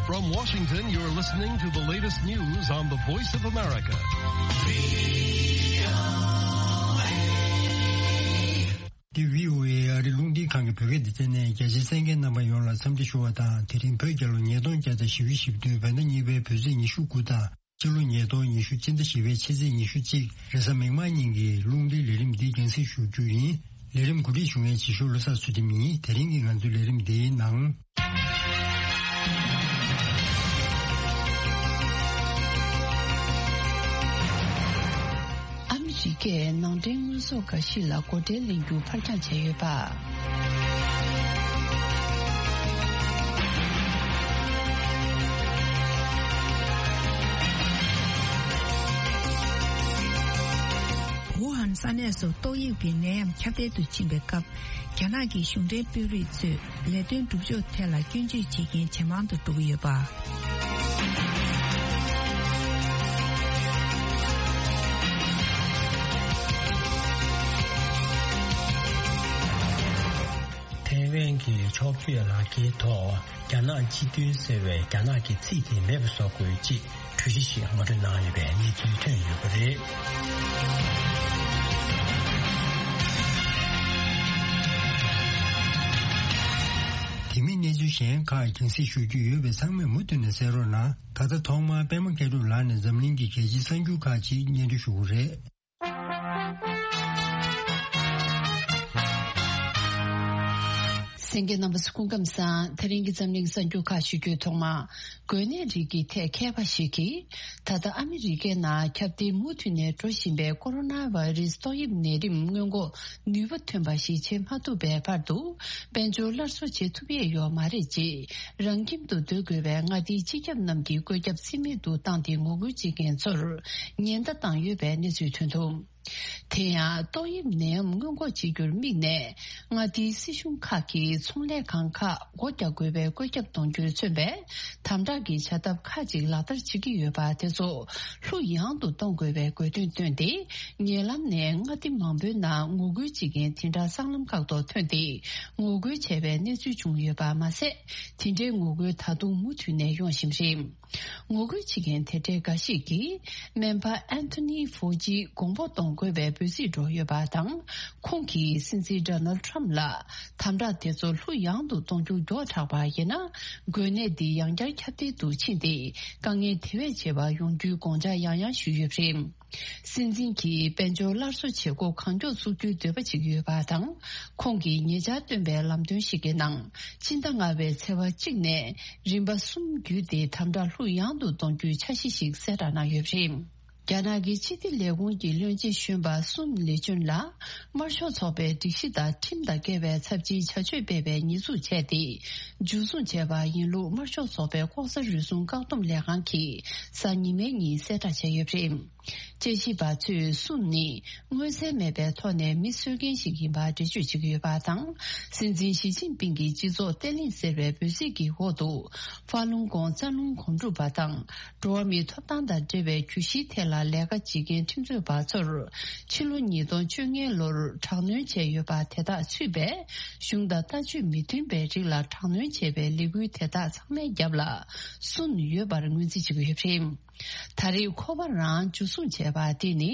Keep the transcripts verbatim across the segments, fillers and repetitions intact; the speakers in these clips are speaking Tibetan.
From Washington, you're listening to the latest news on the Voice of America. འདི་བྷི་ཨོ་ཨེ་ཨ་རིའི་རླུང་འཕྲིན་ཁང་གི་བོད་སྐད་སྡེ་ཚན་ནས། རྒྱ་ཆེའི་གསན་མཁན་རྣམ་པ་ཡོངས་ལ་འཚམས་འདྲི་ཞུ་བ་དང་། དེ་རིང་བོད་རྒྱལ་ལོ་ཉིས་སྟོང་བརྒྱ་དང་བཞི་བཅུ་ཞེ་བདུན། བོད་ཟླ་གཉིས་པའི་བོད་ཚེས་ཉི་ཤུ་དགུ་དང་། ཕྱི་ལོ་ཉིས་སྟོང་ཉི་ཤུ་སྤྱི་ཟླ་བཞི་པའི་ཕྱི་ཚེས་ཉི་ཤུ་གཅིག་རེས་གཟའ་མིག་དམར་ཉིན་གྱི་རླུང་འཕྲིན་ལས་རིམ་འདི་རྒྱང་སྲིང་ཞུ་རྒྱུ་ཡིན། ལས་རིམ་གོ་སྒྲིག་ཞུ་མཁན་ཇི་ཤོ་བློ་བཟང་ཚུལ་ཁྲིམས་ཡིན། དེ་རིང་གི་ང་ཚོའི་ལས་རིམ་འདིའི་ནང་། ཨ་མི་རི་ཀས་ནང་འདྲེན་དངོས་ཟོག་འགའ་ཞིག་ལ་སྒོ་ཁྲལ་ལེན་རྒྱུ་ཕར་འགྱངས་བྱས་ཡོད་པ། ཝུ་ཧན་ས་གནས་སུ་ཏོག་དབྱིབས་ཀྱི་ནད་ཡམས་ཁྱབ་གདལ་དུ་ཕྱིན་པའི་སྐབས། རྒྱ་ནག་གི་གཞུང་འབྲེལ་དཔོན་རིགས་ཚོས་ལས་དོན་སྒྲུབ་ཕྱོགས་ཐད་ལ་སྐྱོན་བརྗོད་བྱེད་མཁན་ཇེ་མང་དུ་འགྲོ་གི་ཡོད་པ། ཐའེ་ཝན་གྱི་ཕྱོགས་བསྐྱོད་ལག་འཁྱེར་ཐོག་རྒྱ་ནག་སྤྱི་མཐུན་ཟེར་བའི་རྒྱ་ནག་གི་ཚིག་དེ་མེད་པ་བཟོ་དགོས་ཅེས། གྲོས་གཞི་ཞིག་ངོ་སྤྲོད་གནང་ཡོད་པའི་གནས་ཚུལ་ཐོན་ཡོད་པ་རེད། དེ་མིན་གནས་ཚུལ་གཞན་ཁག་རྒྱང་སྲིང་ཞུ་རྒྱུ་ཡོད་པས། ཚང་མས་མུ་མཐུད་ནས་གསན་རོགས་གནང་། ད་ལྟ་ཐོག་མར་པད་མ་སྐྱབས་གྲགས་ལགས་ནས་འཛམ་གླིང་གི་གལ་ཆེའི་གསར་འགྱུར་ཁག་ཅིག་སྙན་སྒྲོན་ཞུ་གི་རེད། གསན་མཁན་རྣམ་པ་ཚོ་སྐུ་ཁམས་བཟང་། དེ་རིང་གི་འཛམ་གླིང་གསར་འགྱུར་ཁག་ཞུ་རྒྱུའི་ཐོག་མ། འགོས་ནད་རིགས་ཀྱི་ཐད་མཁས་པ་ཞིག་གིས། ད་ལྟ་ཨ་མི་རི་ཀའི་ནང་ཁྱབ་གདལ་མུ་མཐུད་ནས་འགྲོ་བཞིན་པའི་ཀོ་རོ་ན་བྷ་ཡི་རུ་སི་ཏོག་དབྱིབས་ནད་རིམས་སྔོན་འགོག་ནུས་པ་ཐོན་པ་ཞིག་བྱེད་མ་ཐུབ་པའི་བར་དུ། དཔལ་འབྱོར་སླར་གསོ་བྱེད་ཐུབ་ཡས་ཡོད་མ་རེད་ཅེས། རང་ཁྱིམ་དུ་སྡོད་དགོས་པའི་མངའ་སྡེའི་སྤྱི་ཁྱབ་རྣམས་ཀྱིས་བཀོད་ཁྱབ་རྩིས་མེད་དུ་བཏང་སྟེ། ངོ་རྒོལ་བྱེད་མཁན་ཚོར་ཉེན་བརྡ་བཏང་ཡོད་པའི་གནས་ཚུལ་ཐོན་འདུག་དེ་ཡང་ཏོག་དབྱིབས་ནད་ཡམས་སྔོན་འགོག་བྱེད་རྒྱུར་དམིགས་ནས། མངའ་སྡེའི་སྲིད་གཞུང་ཁག་གིས་ཚོང་ལས་ཁང་ཁག་སྒོ་རྒྱག་དགོས་པའི་བཀོད་ཁྱབ་གཏོང་རྒྱུར་མཚོན་པའི་དམ་དྲག་གི་བྱ་ཐབས་ཁག་ཅིག་ལག་བསྟར་བྱེད་ཀྱི་ཡོད་པ་དེ་ཚོ་ལྷུག་ཡངས་དུ་གཏོང་དགོས་པའི་དགོས་འདུན་བཏོན་ཏེ། ཉེ་ལམ་ནས་མངའ་སྡེ་མང་པོའི་ནང་ངོ་རྒོལ་བྱེད་མཁན་དེ་འདྲ་སྲང་ལམ་ཁག་ཏུ་ཐོན་ཏེ། ངོ་རྒོལ་བྱས་པའི་གནས་ཚུལ་བྱུང་ཡོད་པ་མ་ཟད། དེ་འདྲའི་ངོ་རྒོལ་ད་དུང་མུ་མཐུད་ནས་ཡོང་བཞིན་རེད། ངོ་རྒོལ་བྱེད་མཁན་དེ་འདྲའི་འགའ་ཞིག་གིས། སྨན་པ་ཨན་ཐོ་ནི་ཧྥོ་ཇི་དགོངས་པ་གཏོང་དགོས་པའི་འབོད་ཚིག་འགྲོ་ཡོད་པ་དང་། ཁོང་གིས་སྲིད་འཛིན་ཌོ་ནལ་ཁྲམ་ལ་དམ་དྲག་དེ་ཚོ་ལྷུག་ཡངས་དུ་གཏོང་རྒྱུ་མགྱོགས་དྲགས་པ་ཡིན་ན། འགོས་ནད་འདི་ཡང་བསྐྱར་ཁྱབ་གདལ་དུ་ཕྱིན་ཏེ། དཀའ་ངལ་དེ་བས་ཆེ་བ་ཡོང་རྒྱུའི་དགོངས་འཆར་ཡང་ཡང་ཞུས་ཡོད་པ་རེད། སྲིད་འཛིན་གྱིས་དཔལ་འབྱོར་སླར་གསོ་བྱེད་སྒོ་གང་མགྱོགས་བཙུགས་རྒྱུའི་འདོད་པ་བྱེད་ཀྱི་ཡོད་པ་དང་། ཁོང་གིས་ཉེ་ཆར་བཏོན་པའི་ལམ་སྟོན་ཞིག་གི་ནང་། ཕྱི་ཟླ་ལྔ་པའི་ཚེས་པ་གཅིག་ནས་རིམ་པ་གསུམ་བརྒྱུད་དེ་དམ་དྲག་ལྷུག་ཡངས་དུ་གཏོང་རྒྱུའི་འཆར་གཞི་ཞིག་གསལ་བསྒྲགས་གནང་ཡོད་པ་རེད། རྒྱ་ནག་གི་སྤྱི་བདེ་ལས་ཁུངས་ཀྱི་བློན་ཆེན་གཞོན་པ་སུན་ལི་ཅུན་ལ། དམར་ཤོག་ཚོགས་པའི་སྒྲིག་གཞི་དང་ཁྲིམས་དང་འགལ་བའི་ཚབས་ཆེའི་བྱ་སྤྱོད་སྤེལ་བའི་ཉེས་འཛུགས་བྱས་ཏེ། འཇུ་བཟུང་བྱས་པ་ཡིན་ལུགས་དམར་ཤོག་ཚོགས་པའི་ལྐོག་ཟ་རུལ་སུངས་བཀག་སྡོམ་ལས་ཁང་གིས་གཟའ་ཉི་མའི་ཉིན་གསལ་བསྒྲགས་བྱས་ཡོད་པ་རེད། དཔྱད་ཞིབ་པ་ཚོས་སུན་ནི་མངོན་གསལ་མེད་པའི་ཐོག་ནས་མི་གསོད་མཁན་ཞིག་ཡིན་པར་འགྲེལ་བརྗོད་བྱེད་ཀྱི་ཡོད་པ་དང་། སྲིད་འཛིན་ཞི་ཅིན་ཕིང་གི་སྤྱི་ཚོགས་བརྟན་ལྷིང་ཟེར་བའི་འབོད་ཚིག་གི་འོག་ཏུ། ཧྥ་ལུང་ཀོང་རྩ་རླུང་གོམ་སྒྲུབ་པ་དང་། འགྲོ་བ་མིའི་ཐོབ་ཐང་དང་འབྲེལ་བའི་གྱོད་གཞིའི་ཐད་ལ་ལས་ཀ་བྱེད་མཁན་ཁྲིམས་རྩོད་པ་ཚོར། ཕྱི་ལོ་ཉིས་སྟོང་བཅོ་ལྔའི་ལོར་དྲག་གནོན་བྱས་ཡོད་པ་དེ་དག་ཚུད་པའི། གཞུང་དང་ལྟ་སྤྱོད་མི་མཐུན་པའི་རིགས་ལ་དྲག་གནོན་བྱས་པའི་ལས་འགུལ་དེ་དག་ཚང་མའི་རྒྱབ་ལ་སུན་ཡོད་པར་ངོས་འཛིན་བྱེད་ཀྱི་ཡོད་པ་རེད། ད་རེས་ཁོ་པ་རང་འཇུ་བཟུང་བྱས་པ་དེ་ནི་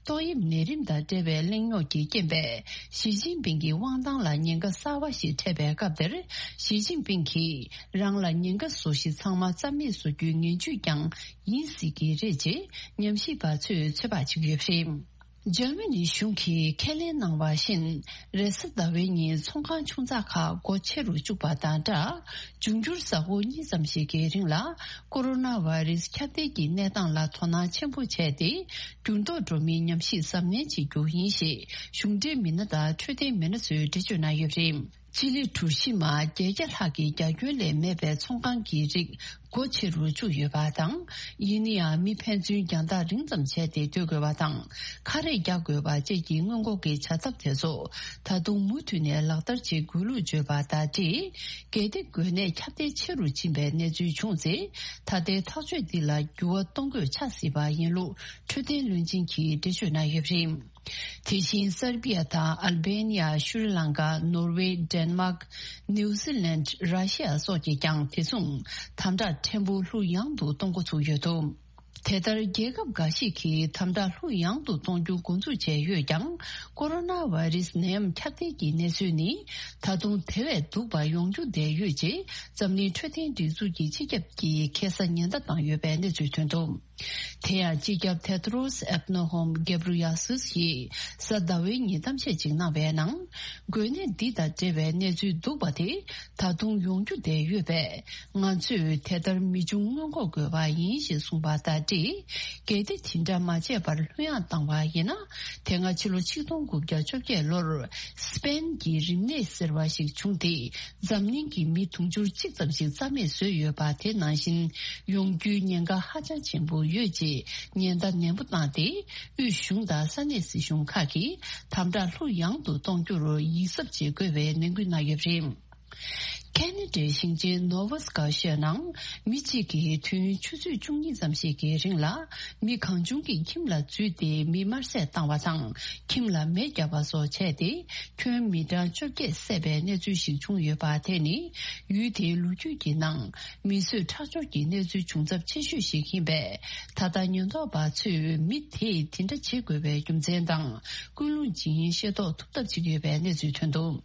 ཏོག་དབྱིབས་ནད་རིམས་དང་འབྲེལ་བའི་གླེང་རྙོག་གི་རྐྱེན་པས། ཞི་ཅིན་ཕིང་གི་དབང་ཐང་ལ་ཉེན་ཁ་གསར་བ་ཞིག་འཕྲད་པའི་སྐབས་དེར། ཞི་ཅིན་ཕིང་གིས་རང་ལ་ཉེན་ཁ་བཟོ་གཞི་ཚང་མ་རྩ་མེད་བཟོ་རྒྱུའི་ངན་ཇུས་ཀྱང་ཡིན་སྲིད་ཀྱི་རེད་ཅེས་ཉམས་ཞིབ་པ་ཚོས་ཚོད་དཔག་བྱེད་ཀྱི་ཡོད་པ་རེད། འཇར་མ་ནི་གཞུང་གིས་ཁས་ལེན་གནང་བ་བཞིན། རེས་གཟའ་ཟླ་བའི་ཉིན་ཚོང་ཁང་ཆུང་ཙག་ཁག་སྒོ་ཕྱེ་རུ་བཅུག་པ་དང་སྦྲགས། འབྱུང་འགྱུར་གཟའ་འཁོར་གཉིས་ཙམ་ཞིག་གི་རིང་ལ། ཀོ་རོ་ན་བྷ་རེ་སི་ཁྱབ་གདལ་གྱི་གནས་སྟངས་ལ་དོ་སྣང་ཆེན་པོ་བྱས་ཏེ། འགྱུར་ལྡོག་འགྲོ་མིའི་ཉམས་ཞིབ་གཟབ་ནན་བྱེད་རྒྱུ་ཡིན་ཞེས་གཞུང་འབྲེལ་མི་སྣ་དང་འཕྲོད་བསྟེན་མི་སྣ་ཚོས་འགྲེལ་བརྗོད་གནང་ཡོད་པ་རེད། སྤྱི་ལེ་གྲུ་བཞི་མ་བརྒྱད་བརྒྱ་ལྷག་གི་རྒྱ་ཁྱོན་ལས་མེད་པའི་ཚོང་ཁང་གི་རིགས་སྒོ་ཕྱེ་རུ་བཅུག་ཡོད་པ་དང་། ཡིན་ན་ཡང་མི་ཕན་ཚུན་རྒྱང་ཐག་རིང་ཙམ་བྱས་ཏེ་སྡོད་དགོས་པ་དང་། ཁ་རས་རྒྱག་དགོས་པ་བཅས་ཀྱི་སྔོན་འགོག་གི་བྱ་ཐབས་དེ་ཚོ་ད་དུང་མུ་མཐུད་ནས་ལག་བསྟར་བྱེད་དགོས་ལུགས་བརྗོད་པ་དང་འབྲེལ། གལ་ཏེ་འགོས་ནད་ཁྱབ་གདལ་ཆེ་རུ་ཕྱིན་པའི་གནས་ཚུལ་བྱུང་ཚེ། ད་ལྟའི་ཐག་གཅོད་འདི་ལ་འགྱུར་བ་གཏོང་དགོས་ཆགས་སྲིད་པ་ཡིན་ལུགས་འཕྲོད་བསྟེན་བློན་ཆེན་གྱིས་འགྲེལ་བརྗོད་གནང་ཡོད་པ་རེད། དེ་བཞིན་སར་བྷི་ཡ་དང་ཨལ་བྷེ་ནི་ཡ། ཤྲི་ལང་ཀ། ནོར་ཝེ། ཌེན་མཱག། ནིའུ་ཛི་ལན། ར་ཤི་ཡ་སོགས་ཀྱིས་ཀྱང་དེ་མཚུངས་དམ་དྲག་ ཕྲན་བུ་ལྷུག་ཡངས་དུ་གཏོང་འགོ་ཚུགས་ཡོད་འདུག་དེ་ལྟར་རྒྱལ་ཁབ་འགའ་ཞིག་གིས་དམ་དྲག་ལྷུག་ཡངས་དུ་གཏོང་རྒྱུ་འགོ་འཛུགས་བྱས་ཡོད་ཀྱང་། ཀོ་རོ་ན་བྷ་རི་སི་ནད་ཡམས་ཁྱབ་གདལ་གྱི་གནས་ཚུལ་ནི་ད་དུང་དེ་བས་སྡུག་པ་ཡོང་རྒྱུ་བསྡད་ཡོད་ཅེས་འཛམ་གླིང་འཕྲོད་བསྟེན་སྒྲིག་འཛུགས་ཀྱི་སྤྱི་ཁྱབ་ཀྱིས་ཁ་སང་ཉེན་བརྡ་བཏང་ཡོད་པའི་གནས་ཚུལ་ཐོན་འདུག་དེ་ཡང་སྤྱི་ཁྱབ་ཐེ་ཏྲོ་སི་ཨེ་ནོ་ཧོམ་གེབ་རུ་ཡ་སུས་ཀྱིས་གཟའ་ཟླ་བའི་ཉིན་གཏམ་བཤད་ཅིག་གནང་བའི་ནང་། འགོས་ནད་འདི་དང་འབྲེལ་བའི་གནས་ཚུལ་སྡུག་པ་དེ་ད་དུང་ཡོང་རྒྱུ་བསྡད་ཡོད་པས། ང་ཚོས་དེ་ལྟར་མི་འབྱུང་སྔོན་འགོག་དགོས་པ་ཡིན་ཞེས་གསུངས་པ་དང་འབྲེལ། གལ་ཏེ་དེ་འདྲ་མ་བྱས་པར་ལྷོད་ཡངས་བཏང་བ་ཡིན་ན། དེ་སྔ་ཕྱི་ལོ་ཆིག་སྟོང་དགུ་བརྒྱ་བཅོ་བརྒྱད་ལོར་སི་པེན་གྱི་རིམས་ནད་ཟེར་བ་ཞིག་བྱུང་སྟེ། འཛམ་གླིང་གི་མི་དུང་ཕྱུར་གཅིག་ཙམ་ཞིག་རྩ་མེད་བཟོས་ཡོད་པ་དེ་ནང་བཞིན་ཡོང་རྒྱུའི་ཉེན་ཁ་ཧ་ཅང་ཆེན་པོ་ཡོད་ཅེས་ཉེན་བརྡ་ནན་པོ་བཏང་སྟེ། དབུས་གཞུང་དང་ས་གནས་སྲིད་གཞུང་ཁག་གིས་དམ་དྲག་ལྷུག་ཡངས་དུ་གཏོང་རྒྱུར་ཡིད་གཟབ་བྱེད་དགོས་པའི་ནན་སྐུལ་གནང་ཡོད་པ་རེད། ཁེ་ན་ཌའི་ཞིང་ཆེན་ནོ་ཝ་སི་ཀ་ཤོད་ནང་མི་གཅིག་གིས་དུས་ཡུན་ཆུ་ཚོད་བཅུ་གཉིས་ཙམ་ཞིག་གི་རིང་ལ་མི་གང་བྱུང་གི་ཁྱིམ་ལ་འཛུལ་ཏེ་མི་དམར་བསད་བཏང་བ་དང་ཁྱིམ་ལ་མེ་བརྒྱབ་པ་སོགས་བྱས་ཏེ། ཁྱོན་མི་གྲངས་བཅོ་བརྒྱད་བསད་པའི་གནས་ཚུལ་ཞིག་བྱུང་ཡོད་པ་དེ་ནི་ཡུལ་དེའི་ལོ་རྒྱུས་ཀྱི་ནང་མི་གསོད་ཁྲག་སྦྱོར་གྱི་གནས་ཚུལ་བྱུང་ཚབས་ཆེ་ཤོས་ཤིག་ཡིན་པས། ད་ལྟ་ཉེན་རྟོག་པ་ཚོས་མི་དེས་དེ་འདྲ་བྱེད་དགོས་པའི་རྒྱུ་མཚན་དང་ཀུན་སློང་ཇི་ཡིན་ཤེས་རྟོགས་ཐུབ་ཐབས་བྱེད་ཀྱི་ཡོད་པའི་གནས་ཚུལ་ཐོན་འདུག་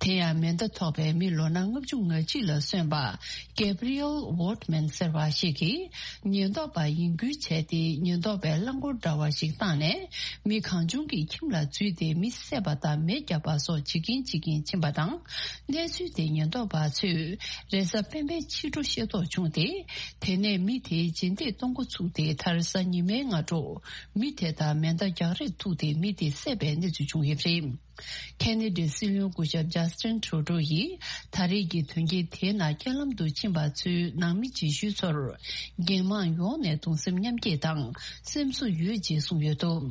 དེ་ཡང་མེ་མདའ་ཐོགས་པའི་མི་ལོ་ན་ལྔ་བཅུ་ང་གཅིག་ལ་སོན་པ་Gabriel Wortman ཟེར་བ་ཞིག་གིས་ཉེན་རྟོག་པ་ཡིན་ཁུལ་བྱས་ཏེ་ཉེན་རྟོག་པའི་རླངས་འཁོར་འདྲ་བ་ཞིག་བཏང་ནས་མི་གང་བྱུང་གི་ཁྱིམ་ལ་འཛུལ་ཏེ་མི་བསད་པ་དང་མེ་བརྒྱབ་པ་སོགས་བྱེད་ཀྱིན་བྱེད་ཀྱིན་ཕྱིན་པ་དང་། གནས་ཚུལ་དེ་ཉེན་རྟོག་པ་ཚོས་རེས་གཟའ་སྤེན་པའི་ཕྱི་དྲོ་ཤེས་རྟོགས་བྱུང་སྟེ། དེ་ནས་མི་དེ་རྗེས་འདེད་གཏོང་འགོ་ཚུགས་ཏེ། མཐར་གཟའ་ཉི་མའི་སྔ་དྲོ་མི་དེ་དང་མེ་མདའ་རྒྱག་རེས་ཐུག་སྟེ་མི་དེ་བསད་པའི་གནས་ཚུལ་བྱུང་ཡོད་པ་རེད། ཁེ་ན་ཌའི་སྲིད་བློན་སྐུ་ཞབས་ཇ་སི་ཊིན་ཁྲུ་ཌོ་ཡིས་ད་རེས་ཀྱི་དོན་རྐྱེན་དེའི་ནང་རྐྱེན་ལམ་དུ་ཕྱིན་པ་ཚོའི་ནང་མི་རྗེས་ཤུལ་ཚོར་རྒྱལ་དམངས་ཡོངས་ནས་གདུང་སེམས་མཉམ་སྐྱེད་དང་སེམས་གསོ་ཡོད་ཅེས་གསུངས་ཡོད་འདུག་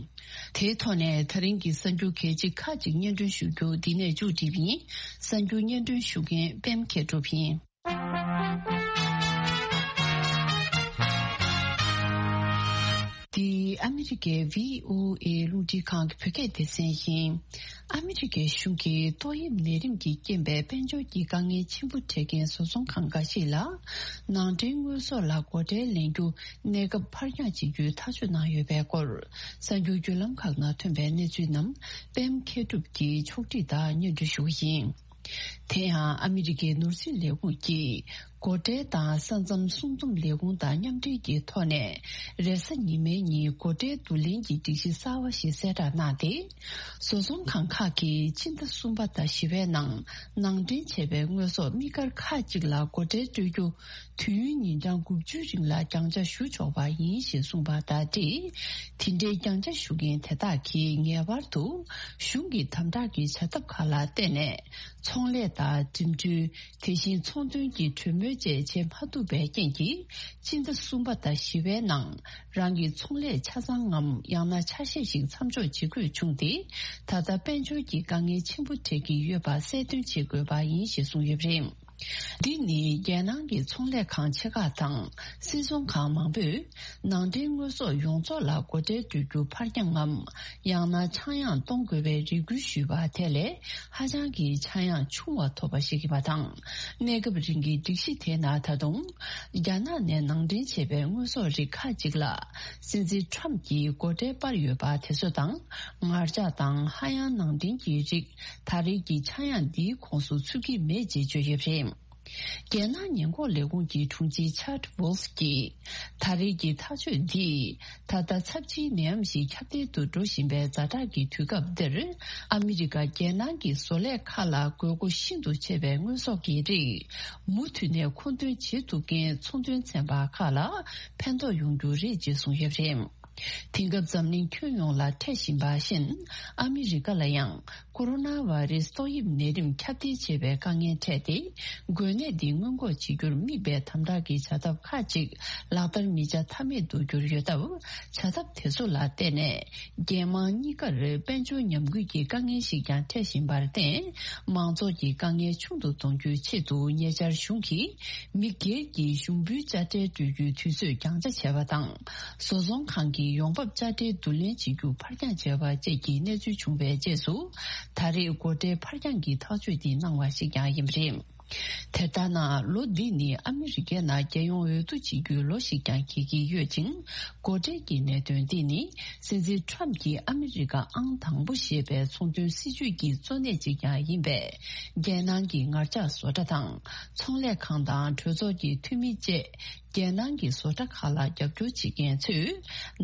དེའི་ཐོག་ནས་ད་རིང་གི་གསར་འགྱུར་གལ་ཆེ་ཁག་ཅིག་སྙན་སྒྲོན་ཞུ་རྒྱུ་འདི་ནས་མཇུག་བསྒྲིལ་བ་ཡིན། གསར་འགྱུར་སྙན་སྒྲོན་ཞུ་མཁན་པད་མ་མཁས་གྲུབ་ཡིན། འདི་ཨ་མི་རི་ཀའི་བྷི་ཨོ་ཨེ་རླུང་འཕྲིན་ཁང་གི་བོད་སྐད་སྡེ་ཚན་ཡིན། ཨ་མི་རི་ཀའི་གཞུང་གིས་ཏོག་དབྱིབས་ནད་རིམས་ཀྱི་རྐྱེན་པས་དཔལ་འབྱོར་གྱི་དཀའ་ངལ་ཆེན་པོ་འཕྲད་མཁན་བཟོ་ཚོང་ཁང་འགའ་ཞིག་ལ་ནང་འདྲེན་དངོས་ཟོག་ལ་སྒོ་ཁྲལ་ལེན་རྒྱུ་གནས་སྐབས་ཕར་འགྱངས་བྱེད་རྒྱུའི་ཐག་གཅོད་གནང་ཡོད་པའི་སྐོར། གསར་འགྱུར་བརྒྱུད་ལམ་ཁག་ནང་ཐོན་པའི་གནས་ཚུལ་རྣམས་པད་མ་མཁས་གྲུབ་ཀྱིས་ཕྱོགས་སྒྲིག་དང་སྙན་སྒྲོན་ཞུ་གི་ཡིན། དེ་ཡང་ཨ་མི་རི་ཀའི་ནོར་སྲིད་ལས་ཁུངས་ཀྱིས་སྒོ་ཁྲལ་དང་ས་མཚམས་སྲུང་འཛོམས་ལས་ཁུངས་དང་མཉམ་འབྲེལ་གྱི་ཐོག་ནས་རེས་གཟའ་ཉི་མའི་ཉིན་སྒོ་ཁྲལ་བསྡུ་ལེན་གྱི་སྒྲིག་གཞི་གསར་བ་ཞིག་གསལ་བསྒྲགས་གནང་སྟེ། བཟོ་ཚོང་ཁང་ཁག་གིས་སྤྱི་ཟླ་གསུམ་པ་དང་བཞི་པའི་ནང་ནང་འདྲེན་བྱས་པའི་དངོས་ཟོག་དམིགས་བཀར་ཁག་ཅིག་ལ་སྒོ་ཁྲལ་སྤྲོད་རྒྱུ་དུས་ཡུན་ཉིན་གྲངས་དགུ་བཅུའི་རིང་ལ་རྒྱང་བཅའ་ཞུ་ཆོག་པ་ཡིན་ཞེས་གསུངས་པ་དང་འབྲེལ། དེ་འདྲའི་རྒྱང་བཅའ་ཞུ་མཁན་དེ་དག་གིས་ངེས་པར་དུ་གཞུང་གི་དམ་དྲག་གི་བྱ་ཐབས་ཁག་ལ་བརྟེན་ནས་ཚོང་ལས་དང་འགྲིམ་འགྲུལ། དེ་བཞིན་ཚོང་དོན་གྱི་གྲོས་མོལ་བཅས་བྱེད་མ་ཐུབ་པའི་རྐྱེན་གྱིས། སྤྱི་ཟླ་གསུམ་པ་དང་བཞི་པའི་ནང་རང་གི་ཚོང་ལས་ཆ་ཚང་ངམ་ཡང་ན་ཆ་ཤས་ཤིག་མཚམས་འཇོག་བྱེད་དགོས་བྱུང་སྟེ། ད་ལྟ་དཔལ་འབྱོར་གྱི་དཀའ་ངལ་ཆེན་པོ་འཕྲད་ཀྱི་ཡོད་པ་གསལ་སྟོན་བྱེད་དགོས་པ་ཡིན་ཞེས་གསུངས་ཡོད་པ་རེད། འདི་ནི་རྒྱལ་ནང་གི་ཚོང་ལས་ཁང་ཆེ་ཁག་དང་སིལ་ཚོང་ཁང་མང་པོས་ནང་འདྲེན་དངོས་ཟོག་ཡོངས་རྫོགས་ལ་སྒོ་ཁྲལ་སྤྲོད་རྒྱུ་ཕར་འགྱངས་ངམ། ཡང་ན་ཆག་ཡང་གཏོང་དགོས་པའི་རེ་སྐུལ་ཞུས་པ་དེ་ལས་ཧ་ཅང་གི་ཆག་ཡང་ཆུང་བ་ཐོབ་པ་ཞིག་ཡིན་པ་དང་། གནས་སྐབས་རིང་གི་སྒྲིག་གཞི་དེའི་ནང་ད་དུང་རྒྱ་ནག་ནས་ནང་འདྲེན་བྱས་པའི་དངོས་ཟོག་རིགས་ཁག་ཅིག་ལ་སྲིད་འཛིན་ཁྲམ་གྱིས་སྒོ་ཁྲལ་སྤར་ཡོད་པ་དེ་ཚོ་དང་། ངར་ལྕགས་དང་ཧ་ཡང་ནང་འདྲེན་གྱི་རིགས་ད་རེས་ཀྱི་ཆག་ཡང་འདིའི་ཁོངས་སུ་ཚུད་ཀྱི་མེད་ཅེས་བརྗོད་ཡོད་པ་རེད། རྒྱལ་ནང་ཉེན་འགོག་ལས་ཁུངས་ཀྱི་དྲུང་ཆེ་ཆཱ་ཌི་ཝོལ་ཕ་གིས། ད་རེས་ཀྱི་ཐག་གཅོད་འདིས་ད་ལྟ་ཚབས་ཆེའི་ནད་ཡམས་ཤིག་ཁྱབ་གདལ་དུ་འགྲོ་བཞིན་པའི་ཛ་དྲག་གི་དུས་སྐབས་འདིར། ཨ་མི་རི་ཀ་རྒྱལ་ནང་གི་བཟོ་ལས་ཁག་ལ་དགོས་མཁོ་ཤིན་ཏུ་ཆེ་བའི་དངོས་ཟོག་གི་རིགས་མུ་མཐུད་ནས་མཁོ་འདོན་བྱེད་ཐུབ་མཁན་ཚོང་དོན་ཚན་པ་ཁག་ལ་ཕན་ཐོགས་ཡོང་རྒྱུ་རེད་ཅེས་གསུངས་ཡོད་པ་རེད། དེང་སྐབས་འཛམ་གླིང་ཁྱོན་ཡོངས་ལ་འཕྲད་བཞིན་པ་བཞིན། ཨ་མི་རི་ཀ་ལ་ཡང་ཀོ་རོ་ན་བྷ་རེ་སི་ཏོག་དབྱིབས་ནད་རིམས་ཁྱབ་གདལ་བྱེད་པའི་དཀའ་ངལ་འཕྲད་དེ། འགོས་ནད་འདི་སྔོན་འགོག་བྱེད་རྒྱུར་དམིགས་པའི་དམ་དྲག་གི་བྱ་ཐབས་ཁག་ཅིག་ལག་བསྟར་མི་བྱ་ཐབས་མེད་དུ་གྱུར་ཡོད་སྟབས། བྱ་ཐབས་དེ་ཚོ་ལ་བརྟེན་ནས། རྒྱལ་དམངས་གཉིས་ཀར་དཔལ་འབྱོར་ཉམས་རྒུད་ཀྱི་དཀའ་ངལ་ཞིག་ཀྱང་འཕྲད་བཞིན་པར་བརྟེན། མང་ཚོགས་ཀྱི་དཀའ་ངལ་ཆུང་དུ་གཏོང་རྒྱུའི་ཆེད་དུ། ཉེ་ཆར་གཞུང་གིས་མི་སྒེར་གྱི་ཞུགས་འབུལ་དཔྱ་ཁྲལ་སྤྲོད་རྒྱུའི་དུས་ཚོད་རྒྱང་ཆ་བྱས་པ་དང་། བཟོ་ཚོང་ཁང་གི་ཡོང་འབབ་དཔྱ་ཁྲལ་བསྡུ་ལེན་བྱེད་རྒྱུ་ཕར་འགྱངས་བྱས་པ་བཅས་ཀྱི་གནས་ཚུལ་བྱུང་བའི་རྗེས་སུ། ད་རེས་སྒོ་ཁྲལ་ཕར་འགྱངས་ཀྱི་ཐག་གཅོད་འདི་གནང་བ་ཞིག་ཀྱང་ཡིན་པ་རེད། དེ་ལྟར་ན། ལོ་འདི་ནི་ཨ་མི་རི་ཀའི་ནང་རྒྱལ་ཡོངས་འོས་བསྡུ་བྱེད་རྒྱུའི་ལོ་ཞིག་ཀྱང་འགྱེད་ཀྱི་ཡོད་ཅིང་། འགོ་ཁྲིད་ཀྱི་གནད་དོན་འདི་ནི་སྲིད་འཛིན་ཁྲམ་གྱིས་ཨ་མི་རི་ཀ་ཨང་དང་པོ་ཞེས་པའི་ཚོང་དོན་སྲིད་ཇུས་ཀྱི་གཙོ་གནད་ཅིག་ཀྱང་ཡིན་པས། རྒྱལ་ནང་གི་ངར་ལྕགས་བཟོ་གྲྭ་དང་། ཚོང་ལས་ཁང་དང་གྲོས་ཚོགས་ཀྱི་འཐུས་མི་བཅས། རྒྱལ་ནང་གི་བཟོ་གྲྭ་ཁག་ལ་རྒྱབ་སྐྱོར་བྱེད་མཁན་ཚོས།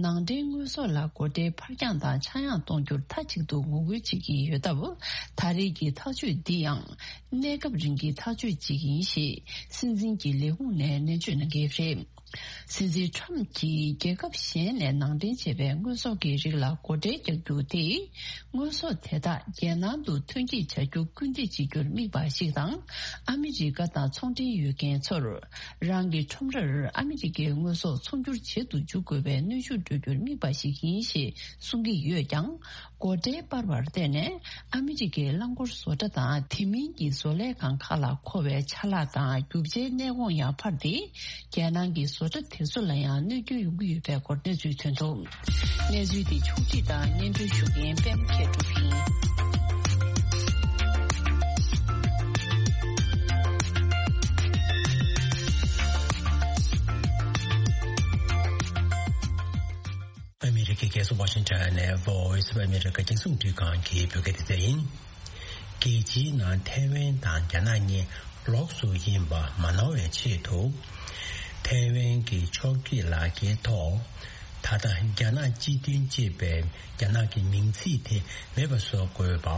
ནང་འདྲེན་དངོས་ཟོག་ལ་སྒོ་ཁྲལ་ཕར་འགྱངས་དང་ཆག་ཡང་གཏོང་རྒྱུར་མཐའ་གཅིག་ཏུ་ངོ་རྒོལ་བྱེད་ཀྱིན་ཡོད་སྟབས། ད་རེས་ཀྱི་ཐག་གཅོད་འདི་ཡང་། གནས་སྐབས་རིང་གི་ཐག་གཅོད་ཅིག་ཡིན་ཞེས་སྲིད་འཛིན་གྱི་ལས་ཁུངས་ནས་ནན་བརྗོད་གནང་གི་རེད། སྲིད་འཛིན་ཁྲམ་གྱིས་རྒྱལ་ཁབ་གཞན་ནས་ནང་འདྲེན་བྱས་པའི་དངོས་ཟོག་གི་རིགས་ལ་སྒོ་ཁྲལ་རྒྱག་རྒྱུ་དེས། དངོས་ཟོག་དེ་དག་རྒྱལ་ནང་དུ་ཐོན་སྐྱེད་བྱ་རྒྱུར་སྐུལ་འདེད་བྱེད་རྒྱུར་དམིགས་པ་ཞིག་དང་། ཨ་མི་རི་ཀ་དང་ཚོང་འབྲེལ་ཡོད་མཁན་ཚོར། རང་གི་ཁྲོམ་རར་ཨ་མི་རི་ཀའི་དངོས་ཟོག་ཚོང་སྒྱུར་བྱེད་དུ་འཇུག་དགོས་པའི་གནོན་ཤུགས་སྤྲོད་རྒྱུར་དམིགས་པ་ཞིག་ཡིན་ཞེས་གསུང་གི་ཡོད་ཀྱང་། སྒོ་ཁྲལ་སྤར་བར་བརྟེན་ནས། ཨ་མི་རི་ཀའི་རླངས་འཁོར་བཟོ་གྲྭ་དང་དེ་མིན་གྱི་བཟོ་ལས་ཁང་ཁག་ལ་མཁོ་བའི་ཆ་ལག་དང་རྒྱུ་ཆའི་གནས་སྐོང་ཡང་འཕར་ཏེ། རྒྱལ་ནང་གི་བཟོ་གྲྭ་དེ་ཚོ་ལ་ཡང་གནོད་སྐྱོན་ཡོང་གི་ཡོད་པའི་སྐོར་གནས་ཚུལ་ཐོན་འདུག་གནས་ཚུལ་དེ་ཕྱོགས་སྒྲིག་དང་སྙན་སྒྲོན་ཞུ་མཁན་པད་མ་མཁས་གྲུབ་ཡིན། ཨ་མི་རི་ཀའི་རྒྱལ་ས་ཝ་ཤིང་ཊོན་ནས་Voice of America རྒྱང་སྲིང་རླུང་འཕྲིན་ཁང་གི་བོད་སྐད་སྡེ་ཚན་ཡིན། རྒྱལ་སྤྱིའི་ནང་ཐའེ་ཝན་དང་རྒྱ་ནག་གཉིས་ལོགས་སུ་ཡིན་པ་མ་ནོར་བའི་ཆེད་དུ། ཐའེ་ཝན་གྱི་ཕྱོགས་བསྐྱོད་ལག་འཁྱེར་ཐོག་ད་ལྟ་རྒྱ་ནག་སྤྱི་མཐུན་ཅེས་པའི་རྒྱ་ནག་གི་མིང་ཚིག་དེ་མེད་པ་བཟོ་དགོས་པ།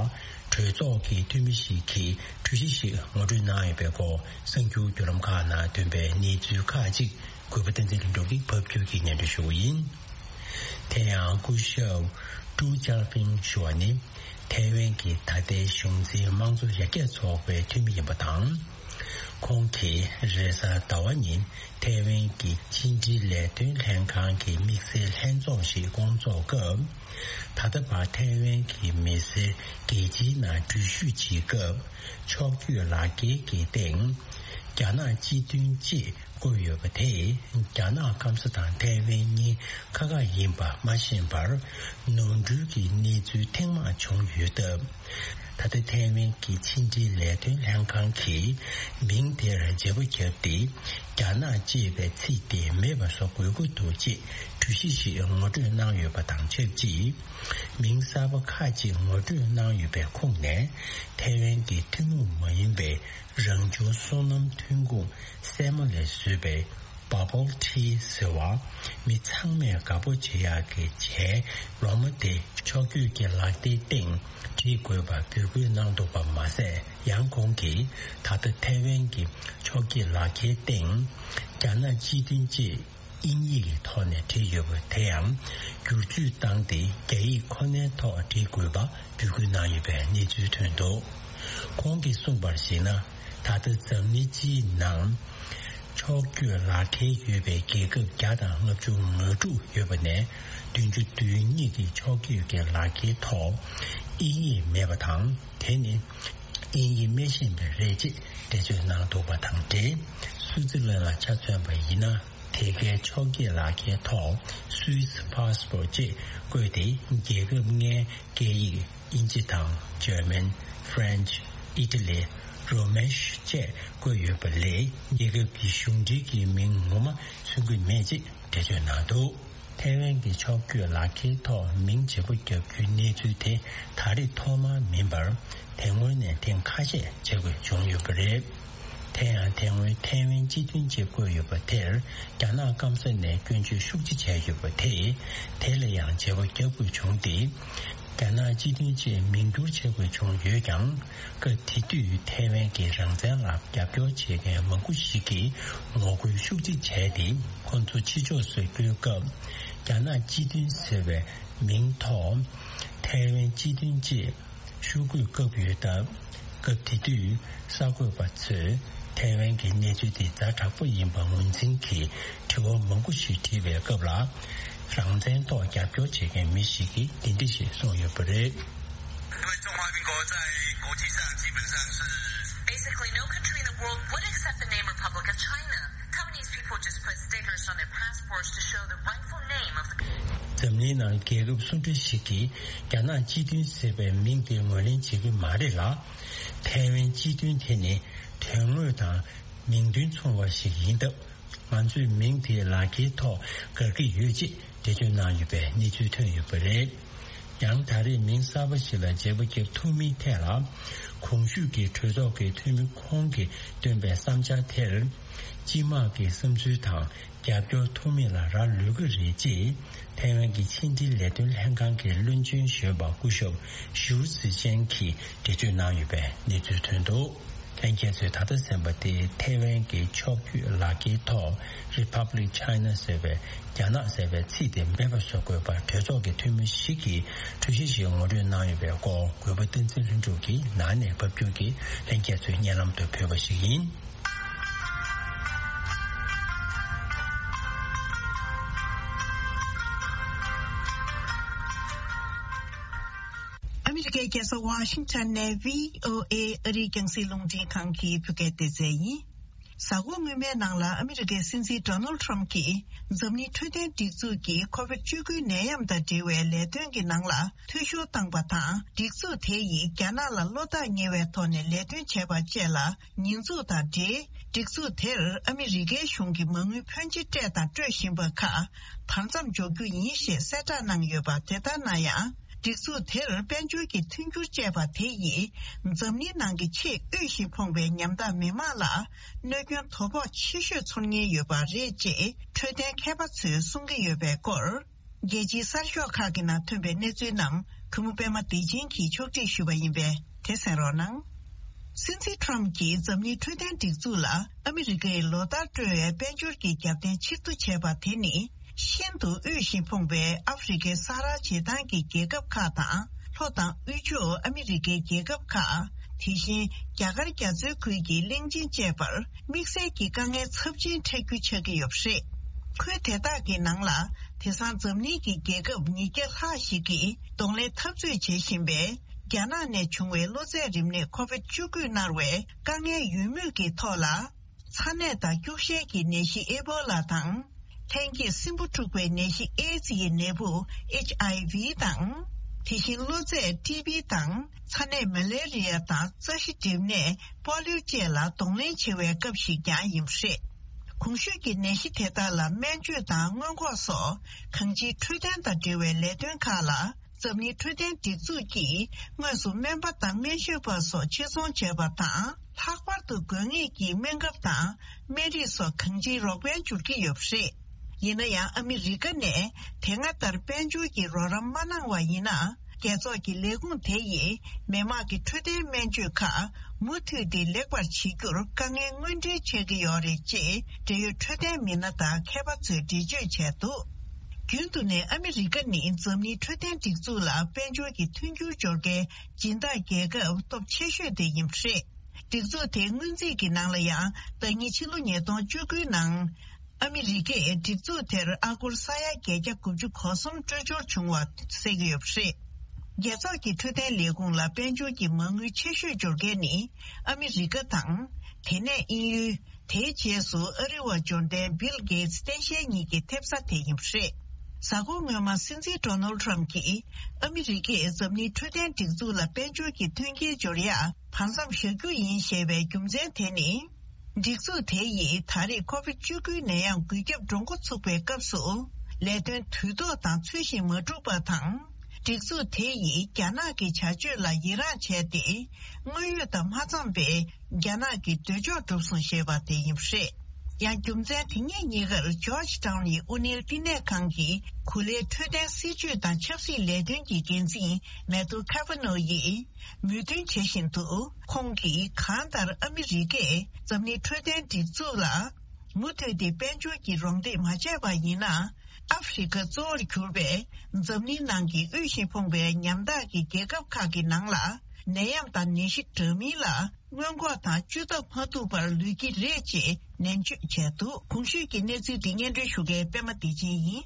གྲོས་ཚོགས་ཀྱི་འཐུས་མི་ཞིག་གིས་གྲོས་གཞི་ཞིག་ངོ་སྤྲོད་གནང་ཡོད་པའི་སྐོར་གསར་འགྱུར་བརྒྱུད་ལམ་ཁག་ནང་ཐོན་པའི་གནས་ཚུལ་ཁག་ཅིག་གུས་པ་བསྟན་འཛིན་ལྷུན་གྲུབ་ཀྱིས་ཕབ་སྒྱུར་གྱིས་སྙན་སྒྲོན་ཞུ་བ་ཡིན། དེ་ཡང་སྐུ་ཞབས་ཀྲུའུ་ཅཱ་ཕིང་ཞུ་བ་ནི། ཐའེ་ཝན་གྱི་ད་ལྟའི་གཞུང་འཛིན་དམངས་གཙོ་ཡར་རྒྱས་ཚོགས་པའི་འཐུས་མི་ཡིན་པ་དང་། ཁོང་གིས་རེས་གཟའ་ཟླ་བ་ཉིན་ཐའེ་ཝན་གྱི་ཕྱི་འབྲེལ་ལས་དོན་ལྷན་ཁང་གི་དམིགས་བསལ་ལྷན་ཚོགས་ཤིག་སྐོང་ཚོགས་སྐབས། ད་ལྟ་བར་ཐའེ་ཝན་གྱི་མི་སེར་རྒྱལ་སྤྱིའི་ནང་འགྲུལ་བཞུད་བྱེད་སྐབས། ཕྱོགས་བསྐྱོད་ལག་འཁྱེར་གྱི་སྟེང་། རྒྱ་ནག་སྤྱི་མཐུན་ཅེས་བཀོད་ཡོད་པ་དེས། རྒྱ་ནག་སྐམ་ས་དང་ཐའེ་ཝན་གཉིས་ཁ་ཁ་ཡིན་པ་མ་ཤེས་པར། ནོར་འཁྲུལ་གྱི་གནས་ཚུལ་ཐེངས་མང་བྱུང་ཡོད་སྟབས། ད་ལྟ་ཐའེ་ཝན་གྱི་ཕྱི་འབྲེལ་ལས་དོན་ལྷན་ཁང་གིས། མིང་དེར་བརྗེ་པོ་བརྒྱབ་སྟེ། རྒྱ་ནག་ཅེས་པའི་ཚིག་དེ་མེད་པ་བཟོ་དགོས་ཀྱི་འདུག་ཅེས་གྲོས་གཞི་ཞིག་ངོ་སྤྲོད་གནང་ཡོད་པ་དང་ཆབས་ཅིག་མིང་གསར་པ་ཁག་ཅིག་ངོ་སྤྲོད་གནང་ཡོད་པའི་ཁོངས་ནས། ཐའེ་ཝན་གྱི་ཐུན་མོང་མ་ཡིན་པའི་རང་བྱུང་སོ་ནམ་ཐོན་ཁུངས་སྲན་མ་ལས་བཟོས་པའི་Bubble Tea ཟེར་བ། མི་ཚང་མས་དགའ་པོ་བྱེད་ཡག་གི་ཇའི་ལོ་མ་དེ་ཕྱོགས་བསྐྱོད་ཀྱི་ལག་རྟེན་སྟེང་བྲིས་དགོས་པ་འབོད་སྐུལ་གནང་འདུག་པ་མ་ཟད། ཡང་ཁོང་གིས་ད་ལྟ་ཐའེ་ཝན་གྱི་ཕྱོགས་ཀྱི་ལག་འཁྱེར་སྟེང་རྒྱ་ནག་སྤྱི་མཐུན་ཅེས། དབྱིན་ཡིག་གི་ཐོག་ནས་བྲིས་ཡོད་པ་དེ་ཡང་བསྒྱུར་བཅོས་བཏང་སྟེ། རྒྱ་ཡིག་ཁོ་ནའི་ཐོག་བྲིས་དགོས་པ་འབོད་སྐུལ་གནང་ཡོད་པའི་གནས་ཚུལ་ཐོན་འདུག་ཁོང་གིས་གསུངས་པར་གཞིགས་ན། ད་ལྟ་འཛམ་གླིང་སྤྱིའི་ནང་ཕྱོགས་བསྐྱོད་ལག་འཁྱེར་ཡོད་པའི་རྒྱལ་ཁབ་བརྒྱ་དང་ལྔ་བཅུ་ང་དྲུག་ཡོད་པ་ནས། བདུན་ཅུ་དོན་གཉིས་ཀྱི་ཕྱོགས་བསྐྱོད་ཀྱི་ལག་འཁྱེར་ཐོག་དབྱིན་ཡིག་མེད་པ་དང་། དེ་ནི་དབྱིན་ཡིག་མི་ཤེས་པ་རེད་ཅེས་འགྲེལ་བརྗོད་གནང་འདུག་པ་དང་འབྲེལ། སུའུ་ཙི་ལན་ལ་ཆ་མཚོན་པ་ཡིན་ན། དེ་གའི་ཕྱོགས་བསྐྱོད་ལག་འཁྱེར་ཐོག་Swiss passport ཅེས་བཀོད་དེ། རྒྱལ་ཁབ་ལྔའི་སྐད་ཡིག་དབྱིན་ཇི་དང་། German, French, Italy, Romansh བཅས་བཀོད་ཡོད་པ་ལས། རྒྱལ་ཁབ་ཀྱི་གཞུང་འབྲེལ་གྱི་མིང་ངོ་མ་མཚོན་གྱི་མེད་ཅེས་འགྲེལ་བརྗོད་གནང་འདུག་ཐའེ་ཝན་གྱི་ཕྱོགས་བསྐྱོད་ལག་འཁྱེར་ཐོག་མིང་བརྗེ་པོ་བརྒྱབ་རྒྱུའི་གནས་ཚུལ་དེ་ད་རེས་ཐོག་མ་མིན་པར། དེ་སྔོན་ནས་ཐེངས་ཁ་ཤས་བྱེད་དགོས་བྱུང་ཡོད་པ་རེད། དེ་ཡང་དེ་སྔོན་ཐའེ་ཝན་སྤྱི་མཐུན་ཅེས་བཀོད་ཡོད་པ་དེར། རྒྱ་ནག་སྐམ་ས་ནས་སྐྱོན་བརྗོད་ཤུགས་ཆེ་བྱས་ཡོད་པ་དེས། དེ་ལ་ཡང་བརྗེ་པོ་བརྒྱབ་དགོས་བྱུང་སྟེ། རྒྱ་ནག་སྤྱི་མཐུན་ཅེས་མིང་བསྒྱུར་བྱེད་དགོས་བྱུང་ཡོད་ཀྱང་། སྐབས་དེ་དུས་ཐའེ་ཝན་གྱི་རང་བཙན་ལ་རྒྱབ་སྐྱོར་བྱེད་མཁན་མང་པོ་ཞིག་གིས་ངོ་རྒོལ་ཤུགས་ཆེ་བྱས་ཏེ། ཁོ་ཚོ་ཕྱི་ཕྱོགས་སུ་བསྐྱོད་སྐབས། རྒྱ་ནག་སྤྱི་མཐུན་ཟེར་བའི་མིང་ཐོག་ཐའེ་ཝན་སྤྱི་མཐུན་ཅེས་ཤོག་གུ་བཀབ་ཡོད་སྟབས། སྐབས་དེ་དུས་གསར་འགོད་པ་ཚོས་ཐའེ་ཝན་གྱི་གནས་ཚུལ་དེ་ཛ་དྲག་པོ་ཡིན་པ་ངོས་འཛིན་གྱིས་དྲི་བ་མང་པོ་ཞིག་དྲིས་པའི་སྐབས་ལ། རང་བཙན་ཐོག་རྒྱབ་སྐྱོར་བྱེད་མཁན་མི་ཞིག་གིས་འདི་འདྲ་ཞིག་གསུངས་ཡོད་པ་རེད། 因为中华民国在国际上基本上是 Basically, no country in the world would accept the name Republic of China. Taiwanese people just put stickers on their passports to show the rightful name of the country. འཛམ་གླིང་ནང་རྒྱལ་ཁབ་སུ་འདྲ་ཞིག་གིས་རྒྱ་ནག་སྤྱི་མཐུན་ཟེར་བའི་མིང་དེ་ངོས་ལེན་བྱེད་ཀྱི་མ་རེད་ལ། དེ་ ཐའེ་ཝན་སྤྱི་མཐུན་དེ་ནི་དོན་དངོས་དང་མིང་དོན་མཚུངས་པ་ཞིག་ཡིན་སྟབས། ང་ཚོས་མིང་དེ་ལག་འཁྱེར་ཐོག་འགག་གི་ཡོད་ཅེས་འགྲེལ་བརྗོད་གནང་ཡོད་པའི་གནས་ཚུལ་ཐོན་ཡོད་པ་རེད། ཡང་ད་རེས་མིང་གསར་པ་ཞིག་ལ་བརྗེ་པོ་བརྒྱབ་ཐུབ་མིན་ཐད་ལ། གོང་ཞུས་ཀྱི་གྲོས་ཚོགས་ཀྱི་འཐུས་མི་ཁོང་གིས་བཏོན་པའི་བསམ་འཆར་དེར། སྤྱི་དམངས་ཀྱི་བསམ་ཚུལ་དང་རྒྱབ་སྐྱོར་ཐོབ་མིན་ལ་རག་ལུས་ཀྱི་རེད་ཅེས། ཐའེ་ཝན་གྱི་ཕྱི་འབྲེལ་ལས་དོན་ལྷན་ཁང་གི་བློན་ཆེན་གཞོན་པ་སྐུ་ཞབས་ཞུའུ་ཙི་ཅན་གྱིས་འགྲེལ་བརྗོད་གནང་ཡོད་པའི་གནས་ཚུལ་ཐོན་འདུག་ལྷན་རྒྱས་ཚོས་ད་ལྟ་གསན་པ་དེ་ཐའེ་ཝན་གྱི་ཕྱོགས་བསྐྱོད་ལག་འཁྱེར་ཐོག་Republic China ཟེར་བའི་རྒྱ་ནག་ཟེར་བའི་ཚིག་དེ་མེད་པ་བཟོ་དགོས་པར་གྲོས་ཚོགས་ཀྱི་འཐུས་མི་ཞིག་གིས་གྲོས་གཞི་ཞིག་ངོ་སྤྲོད་གནང་ཡོད་པའི་སྐོར། གུས་པ་བསྟན་འཛིན་ལྷུན་གྲུབ་ཀྱིས་ནང་ནས་ཕབ་སྒྱུར་གྱིས་ལྷན་རྒྱས་ཚོའི་སྙན་ལམ་དུ་ཕུལ་བ་ཞིག་ཡིན། ཨ་མི་རི་ཀའི་རྒྱལ་ས་ཝ་ཤིང་ཊོན་ནས་བྷི་ཨོ་ཨེ་ཨ་རིའི་རྒྱང་སྲིང་རླུང་འཕྲིན་ཁང་གི་བོད་སྐད་སྡེ་ཚན་ཡིན། གཟའ་འཁོར་སྔོན་མའི་ནང་ལ་ཨ་མི་རི་ཀའི་སྲིད་འཛིན་ཌོ་ནལ་ཊམ་གྱིས་འཛམ་གླིང་འཕྲོད་བསྟེན་སྒྲིག་འཛུགས་ཀྱི་ཁོ་བིད་བཅུ་དགུའི་ནད་ཡམས་དང་འབྲེལ་བའི་ལས་དོན་གྱི་ནང་ལ་འཐུས་ཤོར་བཏང་པ་དང་། སྒྲིག་འཛུགས་དེ་ཡིས་རྒྱ་ནག་ལ་བློ་ཐག་ཉེ་བའི་ཐོག་ནས་ལས་དོན་བྱས་པ་བཅས་ལ། ཉེས་འཛུགས་དང་འབྲེལ། སྒྲིག་འཛུགས་དེར་ཨ་མི་རི་ཀའི་གཞུང་གིས་མ་དངུལ་ཕོན་ཆེ་སྤྲད་དང་སྤྲོད་བཞིན་པ་ཁག་བར་མཚམས་འཇོག་རྒྱུ་ཡིན་ཞེས་གསལ་བསྒྲགས་གནང་ཡོད་པ། དེ་ལྟར་ན་ཡང་། སྒྲིག་འཛུགས་དེར་དཔལ་འབྱོར་གྱི་མཐུན་འགྱུར་བཅས་པ་དེ་ཡིས། འཛམ་གླིང་ནང་གི་ཆེས་དབུལ་ཞིང་ཕོངས་པའི་ཉམ་ཐག་མི་དམངས་ལ། གནོད་སྐྱོན་དོ་ཕོག་ཆེ་ཤོས་ཚོར་ཉེན་ཡོད་པ་རེད་ཅེས། འཕྲོད་བསྟེན་མཁས་པ་ཚོས་གསུང་གི་ཡོད་པའི་སྐོར། རྒྱལ་སྤྱིའི་གསར་ཤོག་ཁག་གི་ནང་ཐོན་པའི་གནས་ཚུལ་རྣམས། གུས་མོ་པད་མ་བདེ་ཆེན་གྱིས་ཕྱོགས་སྒྲིག་ཞུས་པ་ཡིན་པས། དེ་གསན་རོགས་གནང་། སྲིད་འཛིན་ཊམ་གྱིས་འཛམ་གླིང་འཕྲོད་བསྟེན་སྒྲིག་འཛུགས་ལ་ཨ་མི་རི་ཀས་ལོ་ལྟར་སྤྲོད་པའི་དཔལ་འབྱོར་གྱི་རྒྱབ་རྟེན་ཕྱིར་བསྡུ་བྱས་པ་དེ་ནི། ཤིན་ཏུ་དབུལ་ཞིང་ཕོངས་པའི་ཨ་ཧྥེ་རི་ཁའི་ས་རཱ་བྱེ་ཐང་གི་རྒྱལ་ཁབ་ཁག་དང་། ལྷོ་དང་དབུས་ཕྱོགས་ཨ་མི་རི་ཀའི་རྒྱལ་ཁབ་ཁག་དེ་བཞིན་རྒྱ་གར་རྒྱ་མཚོའི་ཁུལ་གྱི་གླིང་ཆེན་བཅས་པར། དམིགས་བསལ་གྱི་དཀའ་ངལ་ཚབས་ཆེན་འཕྲད་རྒྱུ་ཆགས་ཀྱི་ཡོད་པ་རེད། ཁུལ་དེ་དག་གི་ནང་ལ། དེང་སང་འཛམ་གླིང་གི་རྒྱལ་ཁབ་ཉིས་བརྒྱ་ལྷག་ཞིག་གིས་གདོང་ལེན་འཐབ་རྩོད་བྱེད་བཞིན་པའི། རྒྱ་ནག་ནས་བྱུང་བའི་གློ་ཚད་རིམས་ནད་ཁོ་བིད་བཅུ་དགུས་མནར་བའི་དཀའ་ངལ་ཡོད་མུས་ཀྱི་ཐོག་ལ། ཚ་ནད་དང་སྐྱུག་བཤལ་གྱི་ནད་གཞི་ཨེ་བོ་ལ་དང་། ལྷན་སྐྱེས་སྲིན་འབུ་འཁྲུགས་པའི་ནད་གཞི་ཨེ་ཛི་ཡི་ནད་འབུ་ཨེཆ་ཨའི་ཝི་དང་། དེ་བཞིན་གློ་ཚད་ཊི་བི་དང་། ཚ་ནད་མ་ལེ་རི་ཡ་དང་རྩ་ཤེད་འགྲིམ་ནད་པོ་ལིའུ་བཅས་ལ་གདོང་ལེན་བྱེད་པའི་སྐབས་ཤིག་ཀྱང་ཡིན་པ་རེད། གོང་ཞུས་ཀྱི་ནད་གཞི་དེ་དག་ལ་སྨན་བཅོས་དང་སྔོན་འགོག་སོགས་གང་ཅིའི་འཕྲོད་བསྟེན་དང་འབྲེལ་བའི་ལས་དོན་ཁག་ལ། འཛམ་གླིང་འཕྲོད་བསྟེན་སྒྲིག་འཛུགས་ཀྱིས་དངོས་སུ་སྨན་པ་དང་སྨན་ཞབས་པ་སོགས་ཆེད་ཚོང་བྱས་པ་དང་། ལྷག་པར་དུ་དགོས་ངེས་ཀྱི་སྨན་ཁབ་དང་སྨན་རིགས་སོགས་གང་ཅིའི་རོགས་ཕན་སྦྱོར་གྱི་ཡོད་པ་རེད། ཡིན་ན་ཡང་ཨ་མི་རི་ཀ་ནས་དེ་སྔ་ལྟར་དཔལ་འབྱོར་གྱི་རོགས་རམ་མ་གནང་བ་ཡིན་ན། རྒྱལ་ཚོགས་ཀྱི་ལས་ཁུངས་དེ་ཡིས་མི་དམངས་ཀྱི་འཕྲོད་བསྟེན་སྨན་བཅོས་ཁག་མུ་མཐུད་དེ་ལེགས་པར་བྱེད་རྒྱུར་དཀའ་ངལ་དངོས་འབྲེལ་འཕྲད་ཀྱི་ཡོད་རེད་ཅེས་འབྲེལ་ཡོད་འཕྲོད་བསྟེན་མི་སྣ་དང་མཁས་པ་ཚོས་འགྲེལ་བརྗོད་བྱས་འདུག་རྒྱུན་དུ་ནས་ཨ་མི་རི་ཀ་ནི་འཛམ་གླིང་འཕྲོད་བསྟེན་སྒྲིག་འཛུགས་ལ་དཔལ་འབྱོར་གྱི་མཐུན་འགྱུར་སྦྱོར་མཁན་སྦྱིན་བདག་རྒྱལ་ཁབ་སྟོབས་ཆེ་ཤོས་དེ་ཡིན་པ་རེད། སྒྲིག་འཛུགས་དེའི་སྔོན་རྩིས་ཀྱི་ནང་ལ་ཡང་། ཟླ་ཉིན་ཕྱི་ལོ་ཉིས་སྟོང་བཅུ་དགུའི་ནང་། ཨ་མི་རི་ཀས་སྒྲིག་འཛུགས་དེར་ཨ་སྒོར་ས་ཡ་བརྒྱད་བརྒྱ་དགུ་བཅུ་གོ་གསུམ་སྤྲོད་འབྱོར་བྱུང་བ་གསལ་གྱི་ཡོད་པ་རེད། རྒྱལ་ཚོགས་ཀྱི་འཕྲོད་བསྟེན་ལས་ཁུངས་ལ་དཔལ་འབྱོར་གྱི་མ་དངུལ་ཆེ་ཤོས་འབྱོར་མཁན་ནི་ཨ་མི་རི་ཀ་དང་། དེ་ནས་དབྱིན་ཡུལ། དེའི་རྗེས་སུ་ཨ་རི་བ་འབྱོར་ལྡན་བིལ་གེ་ཏི་སྟངས་དཔྱལ་གཉིས་ཀྱི་ཐེབས་རྩ་དེ་ཡིན་པ་རེད། གཟའ་འཁོར་སྔོན་མ་སྲིད་འཛིན་ཌོ་ནལ་ཊམ་གྱིས་ཨ་མི་རི་ཀས་འཛམ་གླིང་འཕྲོད་བསྟེན་སྒྲིག་འཛུགས་ལ་དཔལ་འབྱོར་གྱི་མཐུན་རྐྱེན་སྦྱོར་ཡག་བར་མཚམས་བཞག་རྒྱུ་ཡིན་ཞེས་པའི་རྒྱུ་མཚན་དེ་ནི། སྒྲིག་འཛུགས་དེ་ཡིས་ད་རེས་ཁོ་བིད་བཅུ་དགུའི་ནད་ཡམས་འགོས་ཁྱབ་འགྲོ་འགོ་ཚུགས་པའི་སྐབས་སུ། ལས་དོན་དུས་ཐོག་དང་ཚུལ་བཞིན་མ་བསྒྲུབས་པ་དང་། སྒྲིག་འཛུགས་དེ་ཡིས་རྒྱ་ནག་གི་བྱ་སྤྱོད་ལ་ཡི་རངས་བྱས་ཏེ། དངོས་ཡོད་དང་མ་འཚམས་པའི་རྒྱ་ནག་གི་འདོད་ཕྱོགས་བསྒྲུབས་སོང་ཞེས་པ་དེ་ཡིན་པ་རེད། ཡང་རྒྱུ་མཚན་དེ་ཉིད་གཉིས་ཀར་ཇོརྗ་ཊའུན་ཡི་དབུ་ནེལ་བསྟི་གནས་ཁང་གི་གོ་ལའི་འཕྲོད་བསྟེན་སྲིད་ཇུས་དང་ཆབ་སྲིད་ལས་དོན་གྱི་འགན་འཛིན་མེ་ཐུ་ཁ་ཕ་ནོ་ཡིས་མོས་མཐུན་བྱེད་བཞིན་དུ། ཁོང་གིས་གང་ལྟར་ཨ་མི་རི་ཀས་འཛམ་གླིང་འཕྲོད་བསྟེན་སྒྲིག་འཛུགས་ལ། མུ་མཐུད་དེ་དཔལ་འབྱོར་གྱི་རོགས་འདེགས་མ་བྱས་པ་ཡིན་ན། ཨ་ཧྥེ་རི་ཁ་གཙོ་བོར་གྱུར་པའི་འཛམ་གླིང་ནང་གི་དབུལ་ཞིང་ཕོངས་པའི་ཉམ་ཐག་གི་རྒྱལ་ཁབ་ཁག་གི་ནང་ལ། ནད་ཡམས་དང་ནད་གཞི་འདྲ་མིན་ལ་སྔོན་འགོག་དང་བཅོས་ཐབས་མ་ཐུབ་པར་ལུས་ཀྱི་རེད་ཅེས་ནན་བརྗོད་བྱས་འདུག་གོང་ཞུས་ཀྱི་གནས་ཚུལ་འདི་སྙན་སྒྲོན་ཞུ་མཁན་པད་མ་བདེ་ཆེན་ཡིན།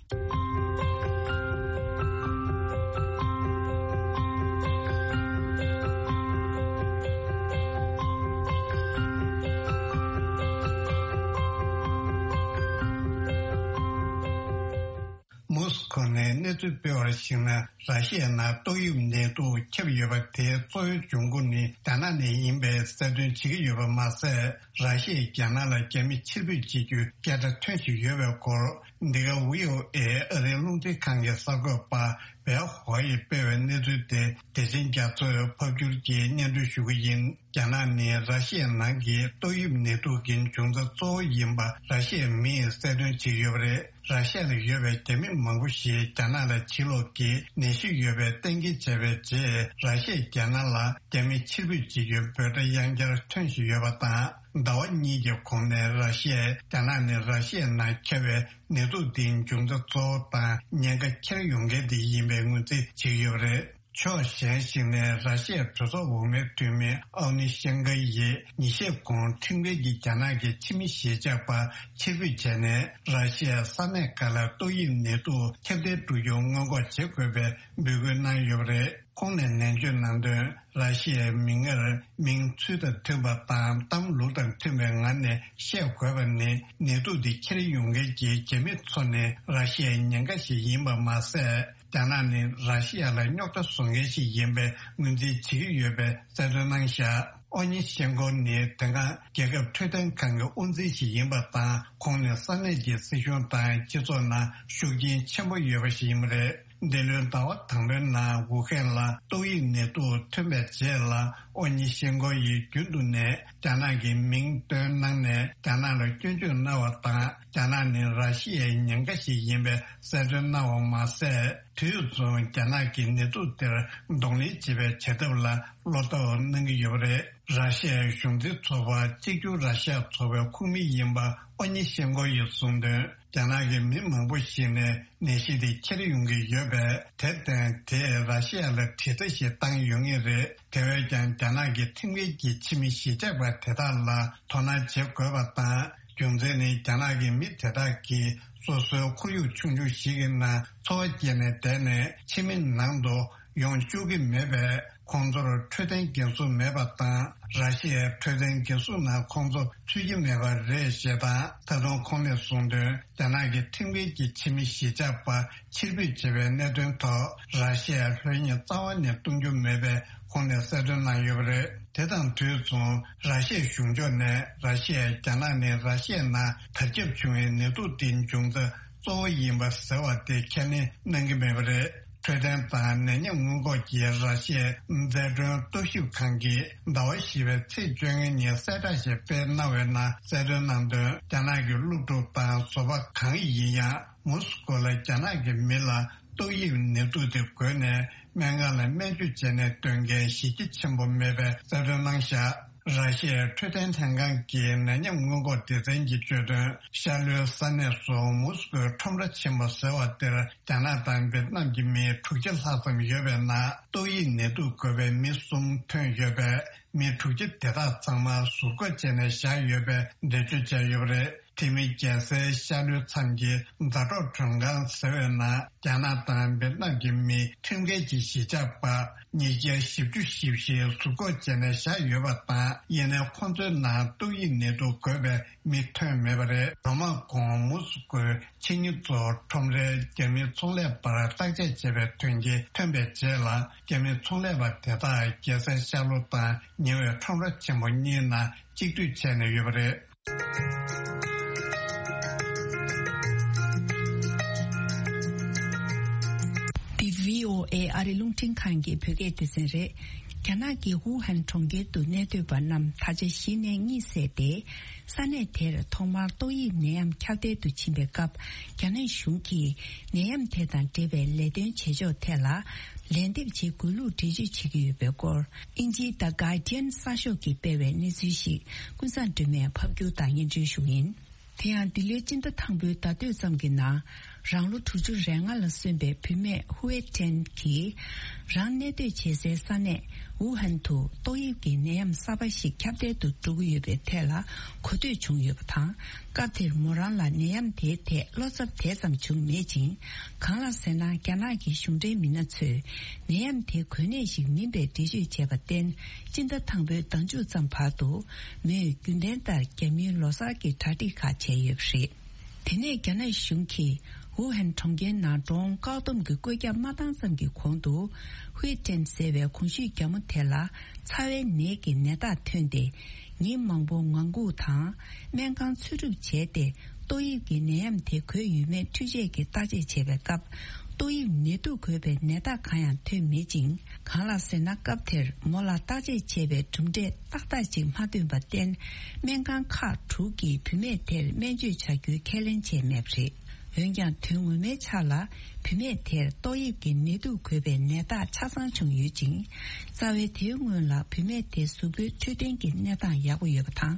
མོ་སི་ ཐོག་ནས་གནས་ཚུལ་སྤེལ་བར་གཞིགས་ན། ར་ཤི་ཡའི་ནང་ཏོག་དབྱིབས་ནད་དུག་ཁྱབ་ཡོད་པ་དེའི་གཙོ་བོའི་འབྱུང་ཁུངས་ནི་རྒྱ་ནག་ནས་ཡིན་པའི་གསལ་སྟོན་བྱེད་ཀྱི་ཡོད་པ་མ་ཟད། ར་ཤི་ཡས་རྒྱ་ནག་ལ་རྒྱ་མི་ཕྱིར་འབུད་བྱེད་རྒྱུའི་སྐད་ཆ་ཐོན་བཞིན་ཡོད་པའི་སྐོར། འདི་ག་ཝི་ཨོ་ཨེ་ཨ་རིའི་རླུང་འཕྲིན་ཁང་གི་གསར་འགོད་པ་བེ་ཧོ་ཡིས་སྤེལ་བའི་གནས་ཚུལ་དེ། དེ་བཞིན་རྒྱ་མཚོས་ཕབ་སྒྱུར་གྱིས་སྙན་སྒྲོན་ཞུ་གི་ཡིན། རྒྱ་ནག་ནི་ར་ཤི་ཡའི་ནང་གི་ཏོག་དབྱིབས་ནད་དུག་གི་འབྱུང་རྩ་གཙོ་བོ་ཡིན་པ་ར་ཤི་ཡའི་མིས་གསལ་སྟོན་བྱེད་ཀྱི་ཡོད་པ་རེད། ར་ཤི་ཡ་ལ་ཡོད་པའི་རྒྱ་མི་མང་པོ་ཞིག་རྒྱ་ནག་ལ་ཕྱིར་ལོག་གིས་ནད་གཞི་ཡོད་པའི་གཏན་འཁེལ་བྱས་པའི་རྗེས། ར་ཤི་ཡས་རྒྱ་ནག་ལ་རྒྱ་མི་ཕྱིར་འབུད་བྱེད་རྒྱུའི་འབོད་སྒྲ་ཡང་བསྐྱར་ཐོན་བཞིན་ཡོད་པ་དང་། ཟླ་བ་གཉིས་ཀྱི་གོང་ནས་ར་ཤི་ཡས་རྒྱ་ནག་ནི་ར་ཤི་ཡའི་ནང་ཁྱབ་པའི་ནད་དུག་འདིའི་འབྱུང་རྩ་གཙོ་བོ་དང་ཉེན་ཁ་འཁྱེར་ཡོང་མཁན་དེ་ཡིན་པའི་ངོས་འཛིན་བྱེད་ཀྱི་ཡོད་པ་རེད། ཕྱོགས་གཞན་ཞིག་ནས་ར་ཤི་ཡའི་གྲོས་ཚོགས་འོག་མའི་འཐུས་མི་ཨའོ་ནི་ཤན་ཀ་ཡིས་ཉིན་ཤས་གོང་ཁྲིམས་འགལ་གྱིས་རྒྱ་ནག་གི་ཕྱི་མི་གཞིས་ཆགས་པ་ཕྱིར་འབུད་བྱས་ནས། ར་ཤི་ཡའི་ས་གནས་ཁག་ལ་ཏོག་དབྱིབས་ནད་དུག་ཁྱབ་གདལ་འགྲོ་རྒྱུ་སྔོན་འགོག་བྱེད་དགོས་པའི་འབོད་སྐུལ་གནང་ཡོད་པ་རེད། ཁོང་ནས་ནན་བརྗོད་གནང་དོན། ར་ཤི་ཡའི་མིག་སྔར་མིང་ཚུལ་དང་མཐུན་པ་དང་གཏམ་ལུགས་དང་མཐུན་པའི་ངང་ནས་བཤད་དགོས་པ་ནི། ནད་དུག་འདི་འཁྱེར་ཡོང་མཁན་གྱི་རྒྱ་མི་ཚོ་ནི་ར་ཤི་ཡའི་ཉེན་ཁ་ཞིག་ཡིན་པ་མ་ཟད། རྒྱ་ནག་ནི་ར་ཤི་ཡ་ལ་རྙོག་དྲ་བཟོ་མཁན་ཞིག་ཡིན་པའི་ངོས་འཛིན་བྱེད་ཀྱི་ཡོད་པའི་གསལ་སྟོན་གནང་བཞག་ཨོ་ཉི་ཤེན་ཀོ་ནི་དེ་སྔ་རྒྱལ་ཁབ་འཕྲོད་བསྟེན་ཁང་གི་དབུ་འཛིན་ཞིག་ཡིན་པ་དང་། ཁོང་ནི་ས་གནས་ཀྱི་སྲིད་གཞུང་དང་སྤྱི་ཚོགས་ནང་ཤུགས་རྐྱེན་ཆེན་པོ་ཡོད་པ་ཞིག་ཡིན་པ་རེད། འདི་ལོའི་ཟླ་བ་དང་པོའི་ནང་ཝུ་ཧན་ལ་ཏོག་དབྱིབས་ནད་དུག་ཐོན་པའི་རྗེས་ལ། ཨོ་ཉི་ཤེན་ཀོ་ཡིས་རྒྱུན་དུ་ནས་རྒྱ་ནག་གི་མིང་བཏོན་གནང་ནས། རྒྱ་ནག་ལ་སྐྱོན་བརྗོད་གནང་བ་དང་། རྒྱ་ནག་ནི་ར་ཤི་ཡའི་ཉེན་ཁ་ཞིག་ཡིན་པའི་གསལ་སྟོན་གནང་བ་མ་ཟད། དུས་མཚུངས་རྒྱ་ནག་གིས་ནད་དུག་དེར་གདོང་ལེན་བྱེད་པའི་བྱ་ཐབས་ལ་བློ་དོགས་གནང་གི་ཡོད་པ་རེད། ར་ཤི་ཡའི་གཞུང་འཛིན་ཚོགས་པ་གཅིག་གྱུར་ར་ཤི་ཡ་ཚོགས་པའི་ཁོངས་མི་ཡིན་པ་ཨོ་ཉི་ཤེན་ཀོ་ཡིས་གསུངས་དོན། རྒྱ་ནག་གི་མི་མང་པོ་ཞིག་ནས་ནད་གཞི་དེ་འཁྱེར་ཡོང་གི་ཡོད་པས། དེར་བརྟེན་དེས་ར་ཤི་ཡ་ལ་དྲི་ཟ་ཞིག་བཏང་ཡོད་ངེས་རེད། དེ་བས་ཀྱང་རྒྱ་ནག་གི་ཁྲིམས་འགལ་གྱི་ཕྱི་མི་གཞིས་ཆགས་པ་དེ་དག་ལ་དོ་སྣང་བྱེད་དགོས་པ་དང་། རྒྱུ་མཚན་ནི་རྒྱ་ནག་གི་མི་དེ་དག་གིས་སོ་སོའི་ཁོར་ཡུག་ཆུང་ཆུང་ཞིག་གི་ནང་འཚོ་བ་སྐྱེལ་ནས་བསྡད་ནས། ཕྱི་མི་ནང་དུ་ཡོང་བཅུག་གི་མེད་པས། ཁོང་ཚོར་འཕྲོད་བསྟེན་འགན་སྲུང་མེད་པ་དང་། ར་ཤི་ཡའི་འཕྲོད་བསྟེན་འགན་སྲུང་ནང་ཁོང་ཚོ་ཚུད་ཀྱི་མེད་པ་རེད་ཞེས་དང་། ད་དུང་ཁོང་ནས་གསུངས་དོན། རྒྱ་ནག་གི་ཁྲིམས་འགལ་གྱི་ཕྱི་མི་གཞིས་ཆགས་པ་ཕྱིར་འབུད་བྱས་པའི་གནད་དོན་ཐོག་ར་ཤི་ཡས་ལྷོད་གཡེང་རྩ་བ་ནས་གཏོང་རྒྱུ་མེད་པའི་ཁོང་ནས་གསལ་སྟོན་གནང་ཡོད་པ་རེད། དེ་དང་དུས་མཚུངས། ར་ཤི་ཡའི་གཞུང་ཕྱོགས་ནས་ར་ཤི་ཡས་རྒྱ་ནག་ནི་ར་ཤི་ཡའི་ནང་དར་ཁྱབ་བྱུང་བའི་ནད་དུག་དེའི་འབྱུང་རྩ་གཙོ་བོ་ཡིན་པ་ཟེར་བ་དེ་ཁས་ལེན་གནང་གི་མེད་པ་རེད། འཕྲོད་བསྟེན་དང་ནད་ཡམས་སྔོན་འགོག་གི་ར་ཤི་ཡའི་མཛའ་གྲོན་རྟོག་ཞིབ་ཁང་གིས་ཟླ་བ་བཞི་པའི་ཚེས་བཅོ་ལྔ་ཉིན་གསལ་བསྒྲགས་ཤིག་སྤེལ་གནང་བའི་ནང་གསལ་སྟོན་གནང་དོན། རྒྱ་ནག་གི་སློབ་ཕྲུག་དང་བཟོ་པ་གང་ཡིན་ཡང་མོ་སི་ཀོ་ལ་རྒྱ་ནག་གི་མི་ལ་ཏོག་དབྱིབས་ནད་དུག་དེ་འགོས་ནས་སྨན་ཁང་ལ་སྨན་བཅོས་བྱས་ནས་སྡོད་མཁན་གཞི་རྒྱ་ཆེན་པོ་མེད་པའི་གསལ་སྟོན་གནང་བཞག་ར་ཤི་ཡའི་འཕྲོད་བསྟེན་ལྷན་ཁང་གི་ནད་ཡམས་སྔོན་འགོག་སྡེ་ཚན་གྱིས་བརྗོད་དོན། ཤར་ལྷོའི་ས་གནས་སུ་མོ་སི་ཀོའི་ཁྲོམ་ར་ཆེན་པོ་ཟེར་བ་དེར་རྒྱ་ནག་དང་ཝེད་ནམ་གྱི་མི་དྲུག་བརྒྱ་ལྷག་ཙམ་ཡོད་པའི་ནང་ཏོག་དབྱིབས་ནད་དུག་འགོས་པའི་མི་གསུམ་ཐོན་ཡོད་པས། མི་དྲུག་བརྒྱ་དེ་དག་ཚང་མ་ཟུར་འགོག་བྱས་ནས་བཞག་ཡོད་པའི་འགྲེལ་བརྗོད་བྱས་ཡོད་པ་རེད། དེ་མིན་རྒྱལ་སའི་ཤར་ལྷོའི་མཚམས་ཀྱི་མཛའ་གྲོགས་མགྲོན་ཁང་ཟེར་བའི་ནང་རྒྱ་ནག་དང་ཝེད་ནམ་གྱི་མི་ཁྲིམས་འགལ་གྱི་གཞིས་ཆགས་པ་ཉིས་བརྒྱ་བཞི་བཅུ་ཞེ་བཞི་ཟུར་འགོག་བྱས་ནས་བཞག་ཡོད་པ་དང་། ཡིན་ནའི་ཁོང་ཚོའི་ནང་ཏོག་དབྱིབས་ནད་དུག་འགོས་པའི་མི་ཐོན་མེད་པ་རེད། ལོ་མང་གོང་མོ་སི་ཀོའི་ཆེད་གཉེར་ཚོ་ཁྲོམ་རའི་རྒྱ་མི་ཚོང་ལས་པར་བརྟག་དཔྱད་བྱས་པའི་དོན་རྐྱེན་ཐོན་པའི་རྗེས་ལ། རྒྱ་མི་ཚོང་ལས་པ་དེ་དག་རྒྱལ་སའི་ཤར་ལྷོ་དང་ཉེ་བའི་ཁྲོམ་ར་ཆེན་པོ་གཉིས་ནང་གཅིག་སྡུད་བྱས་ནས་ཡོད་པ་རེད། འདི་བྷི་ཨོ་ཨེ་ཨ་རི་རླུང་འཕྲིན་ཁང་གི་བོད་སྐད་སྡེ་ཚན་རེད། རྒྱ་ནག་གི་ཝུ་ཧན་གྲོང་ཁྱེར་དུ་གནས་སྡོད་པ་རྣམས་ད་ཆ་གཞི་ནས་གཉིད་སད་དེ། ས་གནས་དེར་ཐོག་མར་ཏོག་དབྱིབས་ནད་ཡམས་ཁྱབ་གདལ་དུ་ཕྱིན་པའི་སྐབས། རྒྱ་ནག་གཞུང་གིས་ནད་ཡམས་དེ་དང་འབྲེལ་བའི་ལས་དོན་བྱེད་ཕྱོགས་ཐད་ལ་ལན་འདེབས་བྱེད་དགོས་ལུགས་འགྲེལ་བརྗོད་བྱེད་ཀྱི་ཡོད་པའི་སྐོར། དབྱིན་ཇིའི་The Guardian གསར་ཤོག་གིས་སྤེལ་བའི་གནས་ཚུལ་ཞིག་ཀུན་བཟང་སྒྲོལ་མས་ཕབ་སྒྱུར་དང་སྙན་སྒྲོན་ཞུ་གི་ཡིན། དེ་ཡང་འདི་ལོའི་སྤྱི་ཟླ་དང་པོའི་ཟླ་སྟོད་ཙམ་གྱི་ནང་། རང་ལོ་དྲུག་ཅུ་རེ་ལྔ་ལ་སོན་པའི་བུད་མེད་ཧུའེ་ཀྲེན་གྱིས། རང་གནས་སྡོད་བྱེད་སའི་ས་གནས་ཝུ་ཧན་དུ་ཏོག་དབྱིབས་ཀྱི་ནད་ཡམས་གསར་པ་ཞིག་ཁྱབ་གདལ་དུ་འགྲོ་གི་ཡོད་པའི་ཐད་ལ་གོ་ཐོས་བྱུང་ཡོད་པ་དང་། སྐབས་དེར་མོ་རང་ལ་ནད་ཡམས་དེའི་ཐད་བློ་འཚབ་དེ་ཙམ་བྱུང་མེད་ཅིང་། གང་ལགས་ཟེར་ན། རྒྱ་ནག་གི་གཞུང་འབྲེལ་མི་སྣ་ཚོས་ནད་ཡམས་དེ་འགོས་ནད་ཞིག་མིན་པའི་འགྲེལ་བརྗོད་བྱས་པར་བརྟེན། སྤྱི་ཟླ་དང་པོའི་ཟླ་མཇུག་ཙམ་བར་དུ་མོས་རྒྱུན་ལྡན་ལྟར་རྒྱ་མིའི་ལོ་གསར་གྱི་གྲ་སྒྲིག་ཁག་བྱས་ཡོད་པ་རེད། དེ་ནས་རྒྱ་ནག་གཞུང་གིས་ ཝུ་ཧན་གྲོང་ཁྱེར་ནང་འགྲོ་འོང་བཀག་སྡོམ་གྱི་བཀོད་ཁྱབ་མ་བཏང་ཙམ་གྱི་གོང་དུ། ཧུའེ་ཀྲེན་ཟེར་བའི་གོང་ཞུས་རྒྱ་མོ་དེ་ལ་ཚ་བའི་ནད་ཀྱི་ནད་རྟགས་ཐོན་ཏེ། ཉིན་མང་པོ་ངང་སྒུག་དང་། སྨན་ཁང་འཚོལ་སྒྲུབ་བྱས་ཏེ། ཏོག་དབྱིབས་ཀྱི་ནད་ཡམས་དེ་འགོས་ཡོད་མེད་འཕྲུལ་ཆས་ཀྱིས་བརྟག་དཔྱད་བྱས་པའི་སྐབས། ཏོག་དབྱིབས་ནད་དུག་འགོས་པའི་ནད་རྟགས་གང་ཡང་ཐོན་མེད་ཅིང་། གང་ལགས་ཟེར་ན། སྐབས་དེར་མོ་ལ་བརྟག་དཔྱད་བྱས་པའི་གྲུབ་འབྲས་ཏག་ཏག་ཅིག་མ་ཐོན་པར་བརྟེན། སྨན་ཁང་ཁག་དྲུག་གིས་བུད་མེད་དེར་སྨན་བཅོས་བྱ་རྒྱུའི་ཁས་ལེན་བྱས་མེད་པ་རེད། འོན་ཀྱང་། དོན་ངོ་མའི་ཆ་ལ་བུད་མེད་དེར་ཏོག་དབྱིབས་ཀྱི་ནད་དུག་འགོས་པའི་ནད་རྟགས་ཆ་ཚང་བྱུང་ཡོད་ཅིང་། རྩ་བའི་དེའི་སྔོན་ལ་བུད་མེད་དེ་གཟུགས་པོའི་འཕྲོད་བསྟེན་གྱི་གནས་སྟངས་ཡག་པོ་ཡོད་པ་དང་།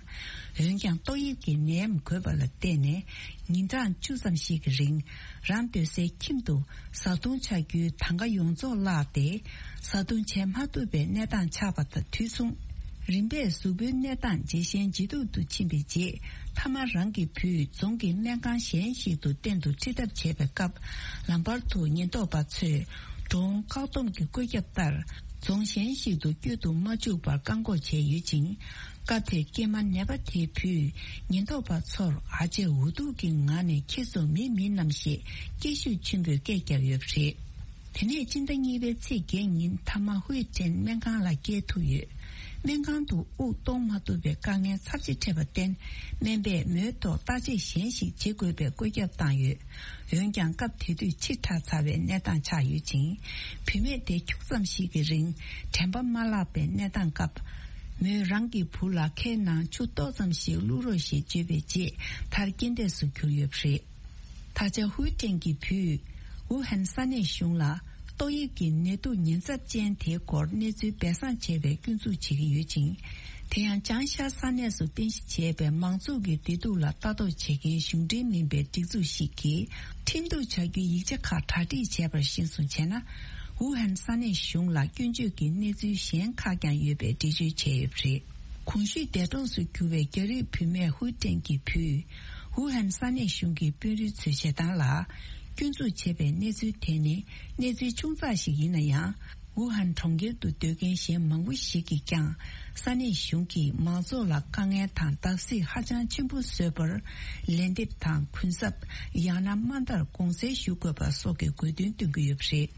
འོན་ཀྱང་། ཏོག་དབྱིབས་ཀྱི་ནད་ཡམས་འགོས་པ་ལ་བརྟེན་ནས། ཉིན་གྲངས་བཅུ་ཙམ་ཞིག་གི་རིང་། རང་སྡོད་སའི་ཁྱིམ་དུ་བཟའ་བཏུང་ཆགས་རྒྱུའི་གྲངས་ཀ་ཡོངས་རྫོགས་བརླགས་ཏེ། བཟའ་བཏུང་བྱེད་མ་ཐུབ་པའི་གནས་སྟངས་ཆགས་པ་དང་དུས་མཚུངས། རིམ་པས་གཟུགས་པོའི་གནས་སྟངས་ཇེ་ཞན་ཇེ་སྡུག་ཏུ་ཕྱིན་པའི་རྗེས། མཐའ་མ་རང་གི་བུས་རྫོང་གི་སྨན་ཁང་གཞན་ཞིག་ཏུ་གཏན་དུ་ཁྲིད་ཐབས་བྱས་པའི་སྐབས། ལམ་བར་དུ་ཉེན་རྟོག་པ་ཚོས་འགྲོ་འོང་བཀག་སྡོམ་གྱི་བཀོད་ཁྱབ་ལྟར། རྫོང་གཞན་ཞིག་ཏུ་བསྐྱོད་དུ་མ་བཅུག་པར་བཀག་འགོག་བྱས་ཡོད་ཅིང་། སྐབས་དེར་སྐྱེས་མ་ནད་པ་དེའི་བུས་ཉེན་རྟོག་པ་ཚོར་ཨ་ཅེ་འུ་ཐུག་གི་ངང་ནས་ཁྱེད་ཚོ་མི་མིན་ནམ་ཞེས་སྐད་ཤུགས་ཆེན་པོས་སྐད་བརྒྱབ་ཡོད་པ་རེད། དེ་ནས་སྤྱི་ཟླ་གཉིས་པའི་ཚེས་བརྒྱད་ཉིན་མཐའ་མ་ཧུའེ་ཀྲེན་སྨན་ཁང་ལ་བསྐྱལ་ཐུབ་ཡོད། སྨན་ཁང་དུ་དབུགས་གཏོང་མ་ཐུབ་པའི་དཀའ་ངལ་ཚབས་ཆེ་འཕྲད་པར་བརྟེན། སྨན་པས་མོའི་ཐོག་བརྟག་དཔྱད་གཞན་ཞིག་བྱེད་དགོས་པའི་བཀོད་ཁྱབ་བཏང་ཡོད། འོན་ཀྱང་། སྐབས་དེ་དུས་ཕྱི་དྲགས་ཚ་བའི་གནས་སྟངས་ཆགས་ཡོད་ཅིང་། བུད་མེད་དེ་ཁྱུག་ཙམ་ཞིག་གི་རིང་དྲན་པ་མ་བརླག་པའི་གནས་སྟངས་སྐབས། མོས་རང་གི་བུ་ལ་ཁའི་ནང་ཆུ་ཏོག་ཙམ་ཞིག་བླུག་རོགས་ཞེས་བརྗོད་པའི་རྗེས། མཐར་རྐྱེན་འདས་སུ་གྱུར་ཡོད་པ་རེད། ད་ཆ་ཧུའེ་ཀྲེན་གྱི་བུས་ཝུ་ཧན་ས་གནས་གཞུང་ལ། ཏོག་དབྱིབས་ཀྱི་ནད་དུག་ཉེན་ཚབས་ཅན་དེའི་སྐོར་གནས་ཚུལ་སྦས་གསང་བྱས་པའི་སྐྱོན་འཛུགས་བྱེད་ཀྱི་ཡོད་ཅིང་། དེ་ཡང་། ཅང་ཤ་ས་གནས་སུ་རྟེན་གཞི་བྱས་པའི་མང་ཚོགས་ཀྱི་བདེ་སྡུག་ལ་ལྟ་རྟོག་བྱེད་མཁན་གཞུང་འབྲེལ་མིན་པའི་སྒྲིག་འཛུགས་ཤིག་གིས། ཁྲིམས་གཏུག་བྱ་རྒྱུའི་ཡིག་ཆ་ཁག་གྲ་སྒྲིག་བྱས་པར་གཞིར་བཟུང་བྱས་ན། ཝུ་ཧན་ས་གནས་གཞུང་ལ་སྐྱོན་བརྗོད་ཀྱི་གནས་ཚུལ་གཞན་ཁག་ཀྱང་ཡོད་པའི་འགྲེལ་བརྗོད་བྱས་ཡོད་པ་རེད། གོང་ཞུས་འདས་གྲོངས་སུ་གྱུར་བའི་རྒྱ་རིགས་བུད་མེད་ཧུའེ་ཀྲེན་གྱི་བུས། ཝུ་ཧན་ས་གནས་གཞུང་གི་དཔོན་རིགས་ཚོས་བྱེད་སྟངས་ལ། སྐྱོན་འཛུགས་བྱས་པའི་གནས་ཚུལ་དེ་ནི་གནས་ཚུལ་ཆུང་ཙག་ཞིག་ཡིན་ན་ཡང་། ཝུ་ཧན་གྲོང་ཁྱེར་དུ་སྡོད་མཁན་གཞན་མང་པོ་ཞིག་གིས་ཀྱང་། ས་གནས་གཞུང་གིས་མང་ཚོགས་ལ་དཀའ་ངལ་དང་བརྡབ་གསིག་ཧ་ཅང་ཆེན་པོ་བཟོས་པར། ལན་འདེབས་དང་གུན་གསབ། ཡང་ན་དམའ་མཐར་དགོངས་སེལ་ཞུ་དགོས་པ་སོགས་ཀྱི་དགོས་འདུན་བཏོན་གྱི་ཡོད་པ་རེད།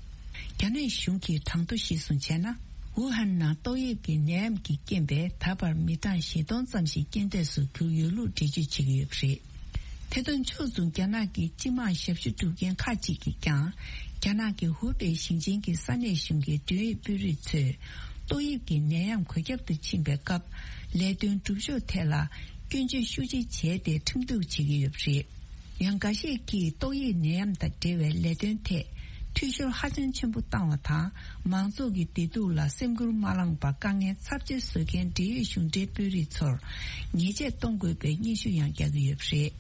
རྒྱ་ནག་གཞུང་གི་གྲངས་ཐོ་གཞིར་བཟུང་བྱས་ན། ཝུ་ཧན་ནང་ཏོག་དབྱིབས་ཀྱི་ནད་ཡམས་ཀྱི་རྐྱེན་པས་ད་བར་མི་གྲངས་བཞི་སྟོང་ཙམ་ཞིག་རྐྱེན་འདས་སུ་གྱུར་ཡོད་ལུགས་འགྲེལ་བརྗོད་བྱེད་ཀྱི་ཡོད་པ་རེད། དེ་དང་ཕྱོགས་མཚུངས། རྒྱ་ནག་གི་སྤྱི་དམངས་ཞབས་ཞུ་སྒྲུབ་མཁན་ཁག་ཅིག་གིས་ཀྱང་། རྒྱ་ནག་གི་ཧུའུ་པེ་ཞིང་ཆེན་གྱི་ས་གནས་གཞུང་གི་མགྲོན་ཡིག་དཔོན་རིགས་ཚོས། ཏོག་དབྱིབས་ཀྱི་ནད་ཡམས་འགོས་ཁྱབ་ཏུ་ཕྱིན་པའི་སྐབས། ལས་དོན་སྒྲུབ་ཕྱོགས་ཐད་ལ་སྐྱོན་བརྗོད་ཤུགས་ཆེ་བྱས་ཏེ་ཁྲིམས་གཏུག་བྱེད་ཀྱི་ཡོད་པ་རེད། ཡང་། འགའ་ཤས་ཀྱིས་ཏོག་དབྱིབས་ནད་ཡམས་དང་འབྲེལ་བའི་ལས་དོན་ཐད་འཐུས་ཤོར་ཧ་ཅང་ཆེན་པོ་བཏང་བ་དང་། མང་ཚོགས་ཀྱི་བདེ་སྡུག་ལ་སེམས་ཁུར་མ་བླངས་པར་དཀའ་ངལ་ཚབས་ཆེ་བཟོ་མཁན་འབྲེལ་ཡོད་གཞུང་འབྲེལ་དཔོན་རིགས་ཚོར་ཉེས་ཆད་གཏོང་དགོས་པའི་སྙན་ཞུ་ཡང་རྒྱག་གི་ཡོད་པ་རེད།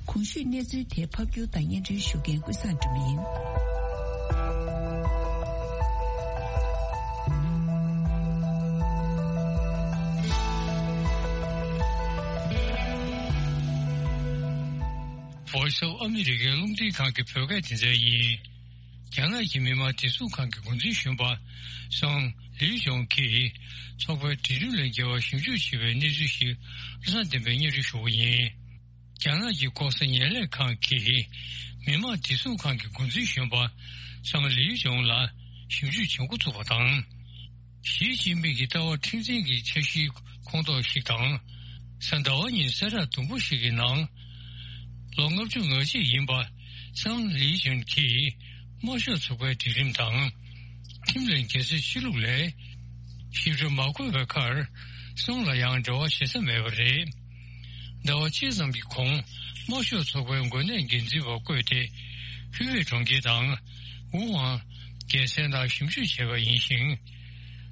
གོང་ཞུས་གནས་ཚུལ་དེ་ཕབ་སྒྱུར་དང་སྙན་སྒྲོན་ཞུ་མཁན་ཀུན་བཟང་སྒྲོལ་མ་ཡིན། Voice of America རླུང་འཕྲིན་ཁང་གི་བོད་སྐད་སྡེ་ཚན་ཡིན། རྒྱ་ནག་གི་མི་དམངས་བདེ་སྲུང་ཁང་གི་འགོ་འཛིན་གཞོན་པ་སང་ལིའུ་ཡོང་གིས་ཚོགས་པའི་སྒྲིག་ཁྲིམས་ལས་འགལ་བ་ཞིབ་འཇུག་བྱེད་པའི་གནས་ཚུལ་ཞིག་བློ་བཟང་བསྟན་པས་སྙན་སྒྲོན་ཞུ་བ་ཡིན། རྒྱ་ནག་གི་ལྐོག་ཟ་ངན་ལས་ཁང་གིས་མི་དམངས་བདེ་སྲུང་ཁང་གི་འགོ་འཛིན་གཞོན་པ་སང་ལིའུ་ཡོང་ལ་ཞིབ་འཇུག་བྱེད་འགོ་ཚུགས་པ་དང་། ཞི་ཅིན་ཕིང་གི་ལྟ་བ་མཁྲེགས་འཛིན་གྱི་འཆར་གཞིའི་ཁོངས་གཏོགས་ཤིག་དང་། གཟའ་ཟླ་བ་ཉིན་གསལ་བསྒྲགས་དུམ་བུ་ཞིག་གི་ནང་། ལོ་ལྔ་བཅུ་ང་གཅིག་ཡིན་པ་སང་ལི་ཅུན་གྱིས་དམར་ཤོག་ཚོགས་པའི་སྒྲིག་ཁྲིམས་དང་། ཁྲིམས་ལས་འགལ་ཚུལ་ཕྱི་ལུགས་ལས་ཞིབ་ཕྲ་མ་འཁོད་པའི་ཁར་སང་ལ་ཡང་འབྲེལ་བ་བྱེད་ས་མེད་པ་རེད། ཟླ་བ་གཅིག་ཙམ་གྱི་གོང་དམར་ཤོག་ཚོགས་པའི་འགོ་ནད་འགན་འཛིན་པ་བསྐོས་ཏེ་ཧུའེ་གྲོང་ཁྱེར་དང་ཝུ་ཝང་རྒྱལ་མཚན་ནང་ཞིབ་འཇུག་བྱས་པ་ཡིན་ཞིང་།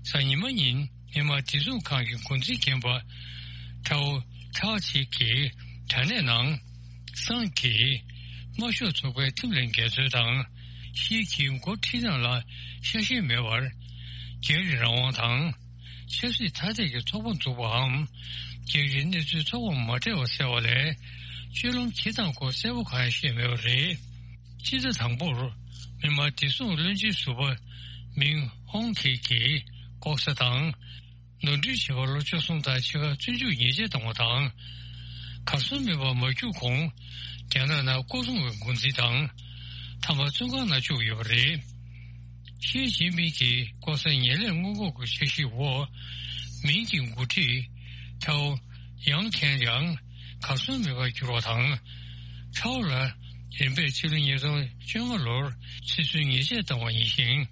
གཟའ་ཉི་མ་ཉིན་མི་དམངས་བདེ་སྲུང་ཁང་གི་འགོ་འཛིན་རྒན་པ་ཁྲའོ་ཁྲའོ་ཆི་གིས་དྲ་གནས་ནང་སང་གིས་དམར་ཤོག་ཚོགས་པའི་ཁྲིམས་ལས་འགལ་ཚུལ་དང་། ཞི་གིས་འགོ་ཁྲིད་སྟངས་ལ་ཤ་ཞེན་མེད་པར། རྒྱ་རིགས་རང་དབང་དང་། ཆབ་སྲིད་མཐའ་གཏད་ཀྱི་ཚོགས་པ་འཛུགས་པའམ། རྒྱ་རིགས་གནས་ཚུལ་ཚོགས་པ་མ་སྤྲད་པ་ཟེར་བ་ལས། སྤྱོད་ལམ་སྤྱིར་བཏང་སྐོར་གསལ་པོ་གང་ཡང་བཤད་མེད་པ་རེད། སྤྱི་ཟླ་དང་པོར་མི་དམངས་བདེ་སྲུང་བློན་ཆེན་ཟུར་པ་མིང་ཧོང་ཁེ་གིས་ལྐོག་ཟ་དང་། ནོར་འཁྲུལ་བྱེད་པར་ལོ་བཅུ་གསུམ་དང་ཕྱེད་ཀ་བཙོན་འཇུག་ཉེས་ཆད་བཏང་བ་དང་། གར་སོང་མེད་པར་མ་རྒྱུགས་གོང་རྒྱ་ནག་ནང་ལྐོག་སྲུང་བའི་འགོ་འཛིན་དང་། ཐ་མག་བཙོན་ཁང་ནང་བཅུག་ཡོད་པ་རེད། ཞི་ཅིན་ཕིང་གིས་ལྐོག་ཟ་ངན་ལས་སྔོན་འགོག་གི་འཆར་གཞིའི་འོག་མིང་གི་འགོ་ཁྲིད་ཐའོ་ཡང་ཁེན་ཡང་གར་སོང་མེད་པར་གྱུར་བ་དང་། ཐའོ་ལ་རིམ་པས་ཕྱི་ལོ་ཉིས་སྟོང་བཅོ་ལྔ་ལོར་ཚེ་བཙོན་ཉེས་ཆད་བཏང་བ་ཡིན་ཞིང་།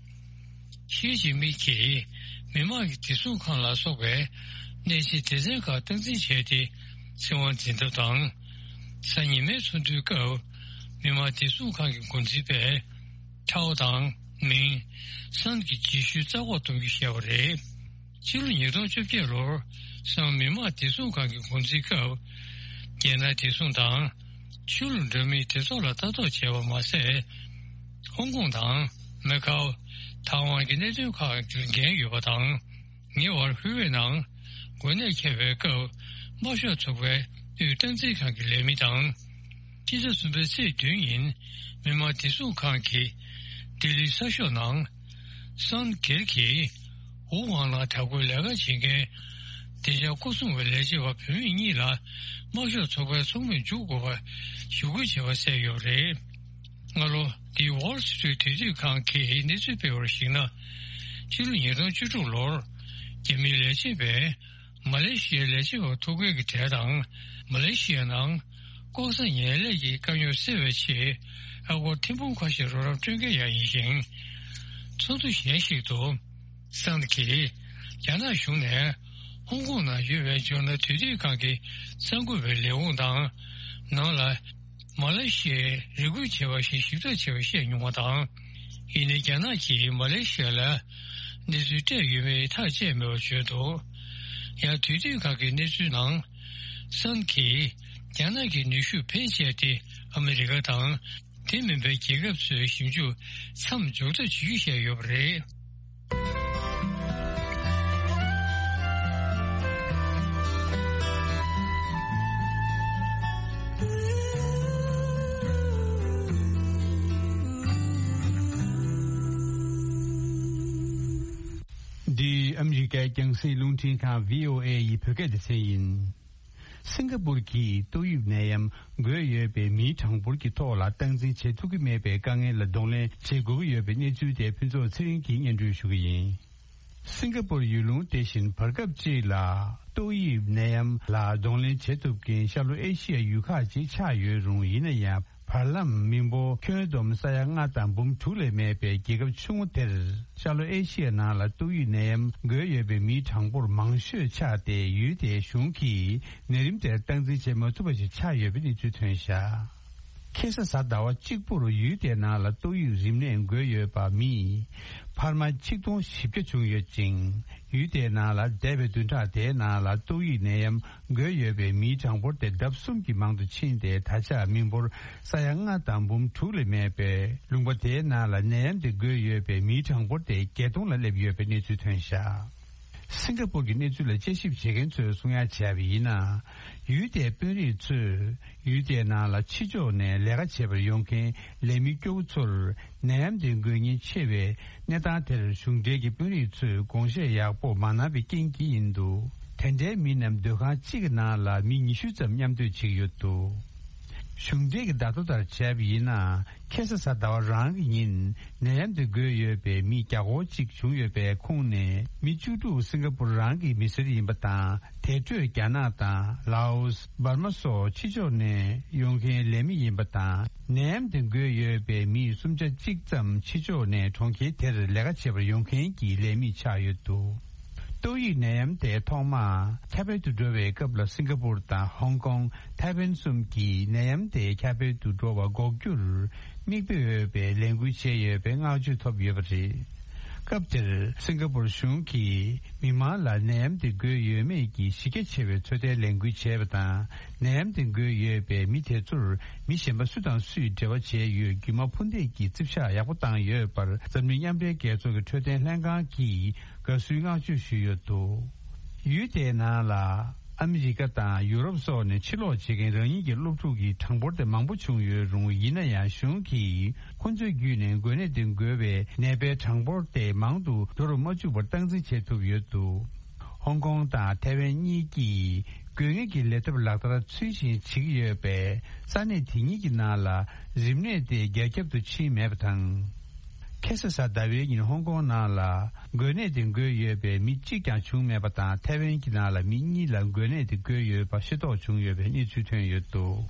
ཞི་ཅིན་ཕིང་གིས་མི་དམངས་ཀྱི་བདེ་སྲུང་ཁང་ལ་སོགས་པའི་གནས་ཆེན་སྡེ་ཚན་ཁག་སྟངས་འཛིན་བྱས་ཏེ་བཙན་དབང་འཛིན་ཐབས་དང་། གཟའ་ཉི་མའི་ཚོགས་འདུའི་སྐབས་མི་དམངས་བདེ་སྲུང་ཁང་གི་འགོ་འཛིན་པས་ཐའོ་དང་མིང་སན་གྱི་རྗེས་ཤུལ་རྩ་འགོག་གཏོང་རྒྱུ་བཤད་པ་རེད། ཕྱི་ལོ་ཉིས་སྟོང་བཅོ་བརྒྱད་ལོར་སང་མི་དམངས་བདེ་སྲུང་ཁང་གི་འགོ་འཛིན་སྐབས་རྒྱལ་ནང་བདེ་སྲུང་དང་། ཆོས་ལུགས་འདྲ་མིན་སྡེ་ཚོགས་ལ་ལྟ་རྟོག་བྱས་པ་མ་ཟད། ཧོང་ཀོང་དང་མེ་ཁའོ། ཐའེ་ཝན་གྱི་གནད་དོན་ཁག་ལ་འགན་ཡོད་པ་དང་། ཉེ་བར་ཧུའེ་ཝེ་ནང་དགོན་གནས་ཁྱབ་པའི་སྐབས་དམར་ཤོག་ཚོགས་པའི་དབུས་སྟངས་འཛིན་ཁང་གི་ལས་མི་དང་། ཕྱི་ཟླ་གསུམ་པའི་ཚེས་བདུན་ཉིན་མི་དམངས་བདེ་སྲུང་ཁང་གིས་ལྡི་ལིའི་གསར་ཤོག་ནང་། སང་སྒེར་གྱིས་ཝུ་ཝང་ལ་དྲག་པོའི་ལས་ཀ་བྱེད་མཁན་བདེ་འཇགས་སྐོར་སྲུང་བའི་ལས་བྱེད་པ་བུད་མེད་གཉིས་ལ་དམར་ཤོག་ཚོགས་པའི་ཚོགས་མིར་འཇུག་དགོས་པ་ཞུ་སྐུལ་བྱས་པ་གསལ་ཡོད་པ་རེད། སྔ་ལོ་འདིའི་Wall Street་དུས་དུས་ཁང་གིས་གནས་ཚུལ་སྤེལ་བར་གཞིགས་ན། ཕྱི་ལོ་ཉིས་སྟོང་བཅུ་དྲུག་ལོར་རྒྱ་མིའི་ལས་བྱེད་པས་མ་ལེ་ཤི་ཡའི་ལས་བྱེད་པ་ཐུག་འཕྲད་ཀྱི་གྲས་དང་། མ་ལེ་ཤི་ཡའི་ནང་ལྐོག་ཟ་ངན་ལས་ཀྱི་དཀའ་རྙོག་སེལ་བའི་ཆེད་ཨ་སྒོར་ཐེར་འབུམ་ཁ་ཤས་རོགས་རམ་སྤྲོད་མཁན་ཡང་ཡིན་ཞིང་། ཚོགས་འདུ་གཞན་ཞིག་ཏུ། སན་གྱིས་རྒྱ་ནག་གཞུང་ནས་ཧོང་ཀོང་ནང་ཡོད་པའི་ཇོར་ནལ་དུས་དུས་ཁང་གི་གསར་འགོད་པའི་ལས་ཁུངས་དང་ནང་ལ་མ་ལེ་ཤི་ཡས་རེ་སྐུལ་བྱས་པ་ཞིག་ཞིབ་ཕྲ་བྱས་པ་བཤད་མྱོང་བ་དང་། ཡིན་ནའི་རྒྱ་ནག་གིས་མ་ལེ་ཤི་ཡ་ལ་གནས་ཚུལ་སྤྲད་ཡོད་མེད་ཐག་བཅད་མེད་པར་བརྗོད་འདུག་ཡང་དུས་དུས་ཁང་གི་གནས་ཚུལ་ནང་། སན་གྱིས་རྒྱ་ནག་གི་ནུས་ཤུགས་ཕལ་ཆེར་དེ་ཨ་མི་རི་ཀ་དང་། དེ་མིན་པའི་རྒྱལ་ཁབ་ཚོའི་ཞིབ་འཇུག་མཚམས་འཇོག་ཐབས་བྱེད་རྒྱུ་བཤད་ཡོད་པ་རེད། འདི་ཨ་མི་རི་ཀའི་རྒྱང་སྲིང་རླུང་འཕྲིན་ཁང་བྷི་ཨོ་ཨེ་ཡི་བོད་སྐད་སྡེ་ཚན་ཡིན། སིང་ག་པུར་གྱིས་ཏོག་དབྱིབས་ནད་ཡམས་འགོས་ཡོད་པའི་མིའི་གྲངས་འབོར་གྱི་ཐོག་ལ་སྟངས་འཛིན་བྱེད་ཐུབ་ཀྱི་མེད་པའི་དཀའ་ངལ་ལ་གདོང་ལེན་བྱེད་དགོས་ཀྱི་ཡོད་པའི་གནས་ཚུལ་དེ་ཕུན་ཚོགས་ཚེ་རིང་གིས་སྙན་སྒྲོན་ཞུ་གི་ཡིན། སིང་ག་པུར་ཡུལ་ལུང་དེ་བཞིན་བར་སྐབས་གཅིག་ལ་ཏོག་དབྱིབས་ནད་ཡམས་ལ་གདོང་ལེན་བྱེད་ཐུབ་མཁན་ཤར་ལྷོ་ཨེ་ཤི་ཡའི་ཡུལ་ཁག་ཅིག་ཆགས་ཡོད་རུང་། ཡིན་ན་ཡང་། བར་ལམ་མི་འབོར་ཁྱོན་བསྡོམས་ས་ཡ་ལྔ་དང་འབུམ་དྲུག་ལས་མེད་པའི་རྒྱལ་ཁབ་ཆུང་ངུ་དེར། ཤར་ལྷོ་ཨེ་ཤི་ཡའི་ནང་ལ་ཏོག་དབྱིབས་ནད་ཡམས་འགོས་ཡོད་པའི་མིའི་གྲངས་འབོར་མང་ཤོས་ཆགས་ཏེ། ཡུལ་དེའི་གཞུང་གིས་ནད་རིམས་དེར་སྟངས་འཛིན་བྱེད་མ་ཐུབ་པ་ཞིག་ཆགས་ཡོད་པའི་གནས་ཚུལ་ཐོན་བཞག་ཁ་སང་གཟའ་ཟླ་བ་གཅིག་པུར་ཡུལ་དེའི་ནང་ལ་ཏོག་དབྱིབས་རིམས་ནད་འགོས་ཡོད་པ་མི་འཕར་མ་ཆིག་སྟོང་བཞི་བརྒྱ་བྱུང་ཡོད་ཅིང་། ཡུལ་དེའི་ནང་ལ་འདས་པའི་བདུན་ཕྲག་དེའི་ནང་ལ་ཏོག་དབྱིབས་ནད་ཡམས་འགོས་ཡོད་པའི་མིའི་གྲངས་འབོར་དེ་ལྡབ་གསུམ་གྱིས་མང་དུ་ཕྱིན་ཏེ། ད་ཆ་མི་འབོར་ས་ཡ་ལྔ་དང་འབུམ་དྲུག་ལས་མེད་པའི་ལུང་པ་དེའི་ནང་ལ་ནད་ཡམས་དེ་འགོས་ཡོད་པའི་མིའི་གྲངས་འབོར་དེ་བརྒྱད་སྟོང་ལ་སླེབས་ཡོད་པའི་གནས་ཚུལ་ཐོན་བཞག་སིང་ག་པུར་གྱི་གནས་ཚུལ་ལ་དཔྱད་ཞིབ་བྱེད་མཁན་ཚོས་གསུང་ཡ་བྱས་པ་ཡིན་ན། ཡུལ་དེའི་དཔོན་རིགས་ཚོས་ཡུལ་དེའི་ནང་ལ་ཕྱི་ཕྱོགས་ནས་ལས་ཀ་བྱེད་པར་ཡོང་མཁན་ལས་མི་སྐྱོ་བོ་ཚོར་ནད་ཡམས་དེ་འགོས་ཉེན་ཆེ་བའི་གནས་སྟངས་དེར་གཞུང་འབྲེལ་གྱི་དཔོན་རིགས་ཚོས་དགོངས་བཞེས་ཡག་པོ་མ་གནང་བའི་རྐྱེན་གྱིས་ཡིན་འདུག་དེ་འདྲའི་མི་རྣམས་སྡོད་ཁང་གཅིག་གི་ནང་ལ་མི་ཉི་ཤུ་ཙམ་མཉམ་སྡོད་བྱེད་ཀྱི་ཡོད་འདུག་གཞུང་འབྲེལ་གྱི་བརྡ་ཐོ་ལྟར་བྱས་པ་ཡིན་ན། ཁ་སང་གཟའ་ཟླ་བ་རང་གི་ཉིན་ནད་ཡམས་དེ་འགོས་ཡོད་པའི་མི་བརྒྱ་སྐོར་གཅིག་བྱུང་ཡོད་པའི་ཁོངས་ནས་མི་བཅུ་དྲུག་སིང་ག་པུར་རང་གི་མི་སེར་ཡིན་པ་དང་། དེ་འཕྲོས་རྒྱ་ནག་དང་ལའོ་སི། འབར་མ་སོགས་ཕྱི་ཕྱོགས་ནས་ཡོང་མཁན་ལས་མི་ཡིན་པ་དང་། ནད་ཡམས་དེ་འགོས་ཡོད་པའི་མི་སུམ་ཆ་གཅིག་ཙམ་ཕྱི་ཕྱོགས་ནས་གྲོང་ཁྱེར་དེར་ལས་ཀ་བྱེད་པར་ཡོང་མཁན་གྱི་ལས་མི་ཆགས་ཡོད་འདུག་ཏོག་དབྱིབས་ནད་ཡམས་དེ་ཐོག་མར་ཁྱབ་སྤེལ་དུ་འགྲོ་བའི་སྐབས་ལ་སིང་ག་པུར་དང་ཧོང་ཀོང་། ཐའེ་ཝན་གསུམ་གྱིས་ནད་ཡམས་དེ་ཁྱབ་སྤེལ་དུ་འགྲོ་བ་འགོག་རྒྱུར་མིག་དཔེ་འོས་པའི་ལས་འགུལ་བྱས་ཡོད་པའི་བསྔགས་བརྗོད་ཐོབ་ཡོད་པ་རེད། སྐབས་དེར་སིང་ག་པུར་གཞུང་གིས་མི་མང་ལ་ནད་ཡམས་དེ་འགོས་ཡོད་མེད་ཀྱི་གཞི་རྒྱ་ཆེ་བའི་ཚོད་ལྟའི་ལས་འགུལ་བྱས་པ་དང་། ནད་ཡམས་དེ་འགོས་ཡོད་པའི་མི་དེ་ཚོར་མི་གཞན་པ་སུ་དང་སུས་འབྲེལ་བ་བྱས་ཡོད་རྒྱུ་མ་ཕུ་འདེད་ཀྱིས་རྩིབ་ཤག་ཡག་པོ་བཏང་ཡོད་པར་འཛམ་གླིང་མཉམ་འབྲེལ་རྒྱལ་ཚོགས་ཀྱི་འཕྲོད་བསྟེན་ལྷན་ཁང་གིས་དགའ་བསུའི་བསྔགས་བརྗོད་ཞུས་ཡོད་འདུག་ཡུལ་དེའི་ནང་ལ་ཨ་མི་རི་ཀ་དང་ཡུ་རོབ་སོགས་ནས་ཕྱིར་ལོག་བྱེད་མཁན་རང་ཉིད་ཀྱི་སློབ་ཕྲུག་གི་གྲངས་འབོར་དེ་མང་པོ་བྱུང་ཡོད་རུང་། ཡིན་ན་ཡང་གཞུང་གིས་ཁོ་ཚོའི་བརྒྱུད་ནས་འགོས་ནད་དེ་འགོས་པའི་ནད་པའི་གྲངས་འབོར་དེ་མང་དུ་འགྲོ་རུ་མ་བཅུག་པར་སྟངས་འཛིན་བྱེད་ཐུབ་ཡོད་འདུག་ཧོང་ཀོང་དང་ཐའེ་ཝན་གཉིས་ཀྱིས། དགོས་ངེས་ཀྱི་ལས་ཐབས་ལག་བསྟར་ཚུལ་བཞིན་བྱེད་ཀྱི་ཡོད་པས། ས་གནས་དེ་གཉིས་ཀྱི་ནང་ལ་རིམས་ནད་དེ་རྒྱ་ཁྱབ་ཏུ་ཕྱིན་མེད་པ་དང་། ཁ་སང་གཟའ་ཟླ་བའི་ཉིན་ཧོང་ཀོང་ནང་ལ་འགོས་ནད་དེ་འགོས་ཡོད་པའི་མི་གཅིག་ཀྱང་བྱུང་མེད་པ་དང་། ཐའེ་ཝན་གྱི་ནང་ལ་མི་གཉིས་ལ་འགོས་ནད་དེ་འགོས་ཡོད་པ་ཤེས་རྟོགས་བྱུང་ཡོད་པའི་གནས་ཚུལ་ཐོན་ཡོད་འདུག།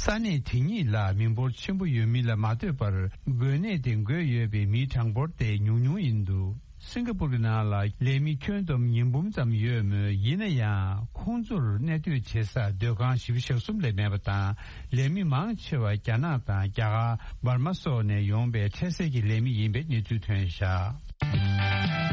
ས་གནས་དེ་གཉིས་ལ་མི་འབོར་ཆེན་པོ་ཡོད་མིན་ལ་མ་ལྟོས་པར། འགོས་ནད་དེ་འགོས་ཡོད་པའི་མིའི་གྲངས་འབོར་དེ་ཉུང་ཉུང་ཡིན་འདུག། སིང་ག་པུར་གྱི་ནང་ལ་ལས་མི་ཁྱོན་བསྡོམས་ཉིས་འབུམ་ཙམ་ཡོད་མོད། ཡིན་ན་ཡང་ཁོང་ཚོར་གནས་སྡོད་བྱེད་ས་སྡོད་ཁང་བཞི་བཅུ་ཞེ་གསུམ་ལས་མེད་པ་དང་། ལས་མི་མང་ཆེ་བ་རྒྱ་ནག་དང་རྒྱ་གར། འབར་མ་སོགས་ནས་ཡོང་པའི་འཕྲལ་སེལ་གྱི་ལས་མི་ཡིན་པའི་གནས་ཚུལ་ཐོན་བཞག།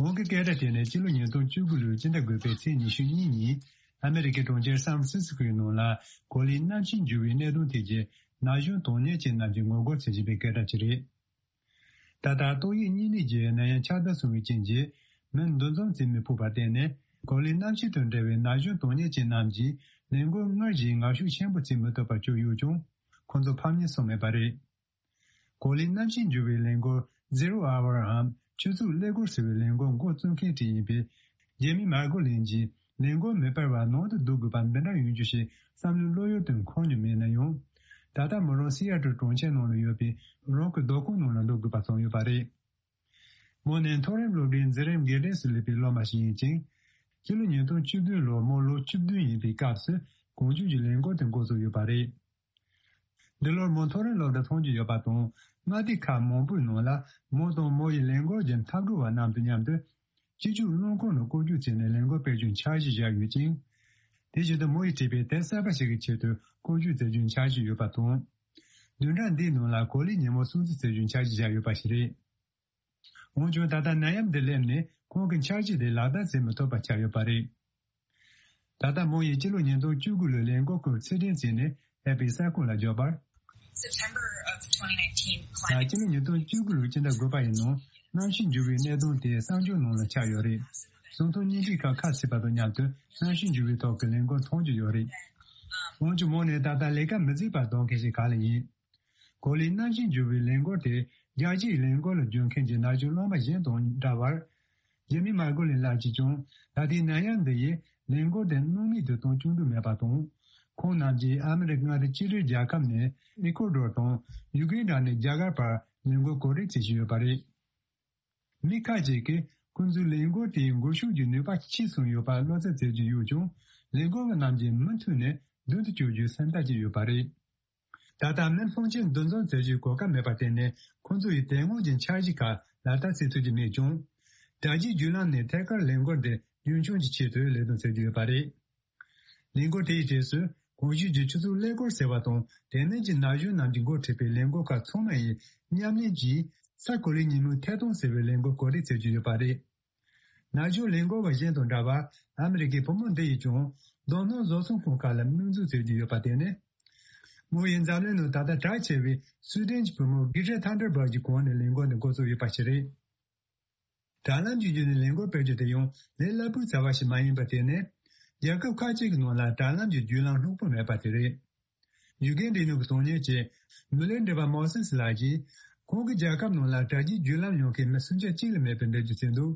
གོང་གི་སྐད་སྒྲ་དེ་ནི་སྤྱི་ལོ་ཉིས་སྟོང་བཅུ་དགུ་ལོའི་སྤྱི་ཟླ་དགུ་པའི་ཚེས་ཉི་ཤུ་གཉིས་ཉིན། ཨ་མེ་རི་ཀའི་གྲོང་ཁྱེར་སན་ཧྥ་རན་སི་སི་ཀོའི་ནང་ལ་གོ་ལའི་གནམ་གཤིས་འགྱུར་བའི་གནད་དོན་ཐད་ཀྱི་ན་གཞོན་དོན་གཉེར་ཅན་རྣམས་ཀྱིས་ངོ་རྒོལ་བྱེད་བཞིན་པའི་སྐད་སྒྲ་ཅིག་རེད། ད་ལྟ་ཏོག་དབྱིབས་གཉན་ནད་ཀྱི་ནད་ཡམས་ཁྱབ་གདལ་སོང་བའི་རྐྱེན་གྱིས། མི་འདུ་འཛོམས་བྱེད་མི་ཕོད་པར་བརྟེན་ནས། གོ་ལའི་གནམ་གཤིས་དང་འབྲེལ་བའི་ན་གཞོན་དོན་གཉེར་ཅན་རྣམས་ཀྱིས་ལས་འགུལ་སྔར་བཞིན་ངར་ཤུགས་ཆེན་པོ་བྱེད་མི་ཐུབ་པར་གྱུར་ཡོད་ཀྱང་། ཁོང་ཚོ་ཕམ་ཉེས་སོང་མེད་པ་རེད། གོ་ལའི་གནམ་གཤིས་འགྱུར་བའི་ལས་འགུལ་Zero Hour འམ་ཆུ་ཚོད་ཀླད་ཀོར་ཟེར་བའི་ལས་འགུལ་འགོ་བཙུགས་མཁན་ཞིག་ཡིན་པའི་ཇེ་མི་མར་གོ་ལིན་གྱིས། ལས་འགུལ་མི་སྤེལ་བར་ནང་དུ་སྡོད་དགོས་པ་འདི་འདྲ་ཡོང་རྒྱུ་ཞིག་བསམ་བློའི་བློ་ཡུལ་དུ་འཁོར་མྱོང་མེད་ན་ཡང་། ད་ལྟ་མོ་རང་སི་ཨ་ཏྲལ་གྲོང་ཁྱེར་ནང་ལ་ཡོད་པའི་རང་གི་སྡོད་ཁང་ནང་ལ་སྡོད་དགོས་པ་བྱུང་ཡོད་པ་རེད། མོ་ནི་མཐོ་རིམ་སློབ་གྲྭའི་འཛིན་རིམ་དགེ་རྒན་སུ་སླེབས་པའི་སློབ་མ་ཞིག་ཡིན་ཅིང་། སྤྱི་ལོ་ཉིས་སྟོང་བཅུ་བདུན་ལོར་མོ་ལོ་བཅུ་བདུན་ཡིན་པའི་སྐབས་སུ་གོང་བརྗོད་ཀྱི་ལས་འགུལ་དེ་འགོ་བཙུགས་ཡོད་པ་རེད། འདི་ལོར་མོ་མཐོ་རིམ་སློབ་གྲྭ་མཐོང་རྒྱུ་ཡོད་པ་དང་། མངའ་སྡེ་ཁག་མང་པོའི་ནང་ལ་མོ་དང་མོ་ཡི་ལས་འགུལ་གྱི་འཐབ་གྲོགས་པ་རྣམས་དང་མཉམ་དུ། སྤྱི་སྤྱོད་རླངས་འཁོར་ནང་སྐོར་སྐྱོད་བྱས་ནས་ལས་འགུལ་སྤེལ་རྒྱུའི་འཆར་གཞི་བཞག་ཡོད་ཅིང་། དེ་བཞིན་དུ་མོ་ཡིས་བྲིས་པའི་དེབ་གསར་པ་ཞིག་གི་ཆེད་དུ་སྐོར་སྐྱོད་མཛད་རྒྱུའི་འཆར་གཞི་ཡོད་པ་དང་། བདུན་ཕྲག་འདིའི་ནང་ལ་གོ་ལའི་ཉིན་མོ་སྲུང་བརྩི་མཛད་རྒྱུའི་འཆར་གཞི་བཞག་ཡོད་པ་ཞིག་རེད། འོན་ཀྱང་ད་ལྟ་ནད་ཡམས་འདི་སླེབས་ནས་ཁོང་གི་འཆར་གཞི་དེ་ལག་བསྟར་བྱེད་མི་ཐུབ་པ་ཆགས་ཡོད་པ་རེད། ད་ལྟ་མོ་ཡིས་སྤྱི་ལོ་ཉིས་སྟོང་བཅུ་དགུ་ལོའི་ལས་འགུལ་སྐོར་ཕྱིར་དྲན་བྱས་ནས་ཨེ་པི་གསར་ཁང་ལ་བརྗོད་པར། September of twenty nineteen ད་climate སྤྱི་ལོ་ཉིས་སྟོང་བཅུ་དགུ་ལོའི་སྤྱི་ཟླ་དགུ་པ་ཡི་ནང་གནམ་གཤིས་འགྱུར་བའི་གནད་དོན་དེ་གསར་འགྱུར་ནང་ལ་ཆགས་ཡོད་རེད། གསང་སྟོང་བརྙན་འཕྲིན་ཁག་ཁ་ཕྱེས་པ་དང་མཉམ་དུ་གནམ་གཤིས་འགྱུར་བའི་ཐོག་གི་ལས་འགུལ་མཐོང་རྒྱུ་ཡོད་རེད། འོན་ཀྱང་མོ་ནི་ད་ལྟ་ལས་ཀ་མི་མཛད་པར་སྡོད་མཁན་ཞིག་ག་ལ་ཡིན། གོ་ལའི་གནམ་གཤིས་འགྱུར་བའི་ལས་འགུལ་དེ་རྒྱལ་སྤྱིའི་ལས་འགུལ་ལ་འཇུག་མཁན་གྱི་ན་གཞོན་སློབ་མ་གཞན་དང་འདྲ་བར། ཇེ་མི་མར་གོ་ལིན་ལགས་ཀྱིས་ཀྱང་ད་ལྟའི་ནད་ཡམས་འདི་ཡིས་ལས་འགུལ་དེ་སྣང་མེད་དུ་གཏོང་བཅུག་འདོད་མེད་པ་དང་། ཁོང་རྣམས་ཀྱིས་ཨ་མི་རི་ཀ་མངའ་སྡེ་གཅིག་སྒྲིལ་རྒྱལ་ཁབ་ནས་ཨི་ཀོ་ཌོར་དང་ཡུ་གན་ཌ་ནས་རྒྱ་གར་བར་ལས་འགུལ་གོ་སྒྲིག་བྱེད་བཞིན་ཡོད་པ་རེད། མི་ཁག་ཅིག་གིས་ཁོང་ཚོའི་ལས་འགུལ་དེའི་འགུལ་ཤུགས་ཀྱི་ནུས་པ་ཆེ་སོང་ཡོད་པར་བློ་འཚབ་མཛད་ཀྱི་ཡོད་ཀྱང་། ལས་འགུལ་བ་རྣམས་ཀྱིས་མུ་མཐུད་ནས་མདུན་དུ་སྐྱོད་རྒྱུའི་སེམས་ཐག་བཅད་ཡོད་པ་རེད། ད་ལྟ་མི་ཕོན་ཆེན་འདུ་འཛོམས་མཛད་རྒྱུའི་གོ་སྐབས་མེད་པར་བརྟེན་ནས། ཁོང་ཚོ་ཡིས་དེ་སྔོན་གྱི་འཆར་གཞི་ཁག་ལག་བསྟར་བྱེད་ཐུབ་ཀྱི་མེད་ཀྱང་། དྲ་རྒྱའི་བརྒྱུད་ལམ་ནས་ཐད་ཀར་ལས་འགུལ་འདི་རྒྱུན་འཁྱོངས་ཀྱི་ཆེད་དུ་ལས་དོན་བྱེད་ཀྱི་ཡོད་པ་རེད། ལས་འགུལ་དེའི་རྗེས་སུ་གོང་ཞུས་ཀྱི་ཆུ་ཚོད་ཀླད་ཀོར་ཟེར་བ་དང་དེ་མིན་གྱི་ན་གཞོན་རྣམས་ཀྱིས་འགོ་ཁྲིད་པའི་ལས་འགུལ་ཁག་ཚང་མ་ཡིས་མཉམ་ལེན་གྱིས་ས་གོ་ལའི་ཉིན་མོའི་ཐད་གཏོང་ཟེར་བའི་ལས་འགུལ་གོ་སྒྲིག་བྱེད་ཀྱི་ཡོད་པ་རེད། ན་གཞོན་ལས་འགུལ་བ་གཞན་དང་འདྲ་བར་ཨ་མི་རི་ཀའི་བུ་མོ་འདི་ཡིས་ཀྱང་རྡོ་སྣུམ་བཟོ་ཚོང་ཁང་ཁག་ལ་དམིགས་འཛུགས་བྱེད་ཀྱི་ཡོད་པ་དེ་ནི། མོ་ཡི་འཛམ་གླིང་ནང་ད་ལྟ་གྲགས་ཆེ་བའི་སུའེ་ཏན་གྱི་བུ་མོ་གྷི་ཊ་ཐན་ཌར་བྷག་གི་གོང་ནས་ལས་འགུལ་འདི་འགོ་བཙུགས་ཡོད་པ་ཞིག་རེད། དྲ་ལམ་གྱི་བརྒྱུད་ནས་ལས་འགུལ་སྤེལ་རྒྱུ་དེ་ཡང་ལས་སླ་པོའི་བྱ་བ་ཞིག་མ་ཡིན་པ་དེ་ནི། རྒྱལ་ཁབ་ཁག་ཅིག་གི་ནང་ལ་དྲ་ལམ་གྱི་བརྒྱུད་ལམ་ལྷུག་པོ་མེད་པ་དེ་རེད། ཡུ་གན་འབྲི་ནུས་ཀྱི་དོན་གཉེར་ཅན་མུ་ལེ་འདྲི་བ་མོ་སེ་སི་ལགས་ཀྱིས། ཁོང་གི་རྒྱལ་ཁབ་ནང་ལ་དྲ་རྒྱའི་བརྒྱུད་ལམ་ཡོང་མཁན་མི་སུམ་ཆ་གཅིག་ལས་མེད་པའི་འགྲེལ་བརྗོད་བྱས་འདུག།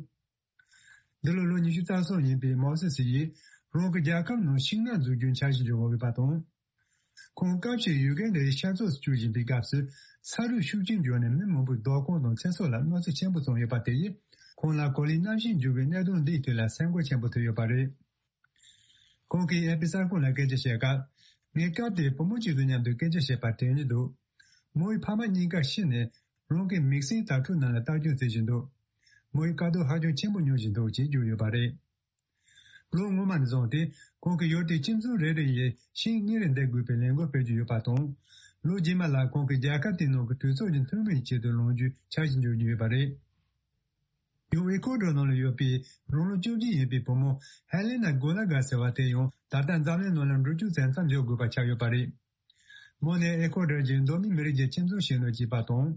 འདི་ལོ་ལོ་ཉི་ཤུ་རྩ་གསུམ་ཡིན་པའི་མོ་སེ་སི་ཡིས། རང་གི་རྒྱལ་ཁབ་ནང་ཤིང་ནགས་འཛུགས་རྒྱུའི་འཆར་གཞི་འཇོག་འོས་པ་དང་། ཁོང་སྐབས་ཤིག་ཡུ་གན་ཌའི་ཤར་ཕྱོགས་སུ་བསྐྱོད་བཞིན་པའི་སྐབས་སུ། ས་རུད་ཤུགས་ཆེན་བྱུང་ནས་མི་མང་པོའི་སྡོད་ཁང་དང་ཚེ་སྲོག་ལ་གནོད་འཚེ་ཆེན་པོ་བྱུང་ཡོད་པ་དེ་ཡིས། ཁོང་ལ་གོ་ལའི་གནམ་གཤིས་འགྱུར་བའི་གནད་དོན་འདིའི་ཐད་ལ་སེམས་ཁུར་ཆེན་པོ་ཐོབ་ཡོད་པ་རེད། ཁོང་གིས་ཨེ་པི་གསར་ཁང་ལ་སྐད་ཆ་བཤད་སྐབས། ངས་སྐབས་དེར་བུ་མོ་གཅིག་དང་མཉམ་དུ་སྐད་ཆ་བཤད་པ་དྲན་གྱི་འདུག། མོ་ཡི་ཕ་མ་གཉིས་ཀ་ཤི་ནས། རང་གི་མིག་སེར་དྭ་ཕྲུག་རྣམས་ལ་ལྟ་སྐྱོང་བྱེད་བཞིན་འདུག། མོ་ཡི་དཀའ་སྡུག་ཧ་ཅང་ཆེན་པོ་མྱོང་བཞིན་འདུག་ཅེས་བརྗོད་ཡོད་པ་རེད། ལོ་སྔོན་མ་ནས་བཟུང་སྟེ། ཁོང་གིས་ཡུལ་དེའི་ཁྱིམ་ཚང་རེ་རེ་ཡི་ཤིང་གཉེར་འདེབས་དགོས་པའི་ལས་འགུལ་སྤེལ་གྱི་ཡོད་པ་དང་། ལོ་རྗེས་མ་ལ་ཁོང་གིས་རྒྱལ་ཁབ་དེའི་ནང་གི་གྲོས་ཚོགས་ཀྱི་འཐུས་མིའི་ཆེད་དུ་ལངས་རྒྱུའི་འཆར་གཞི་འཇོག་རྒྱུ་ཡོད་པ་རེད། ཡང་ཨེ་ཁོ་ཌོར་ནང་ལ་ཡོད་པའི་རང་ལོ་བཅོ་བརྒྱད་ཡིན་པའི་བུ་མོ་ཧེ་ལེ་ན་གོ་ལ་གྷ་ཟེར་བ་དེ་ཡང་ད་ལྟ་འཛམ་གླིང་ནང་ལ་འགྲོ་སྐྱོད་བྱས་མཚམས་འཇོག་དགོས་པ་ཆགས་ཡོད་པ་རེད། མོ་ནི་ཨེ་ཁོ་ཌོར་གྱི་མདོ་སྨད་མི་རིགས་ཀྱི་ཁྱིམ་ཚང་ཞིག་ནང་སྐྱེས་པ་དང་།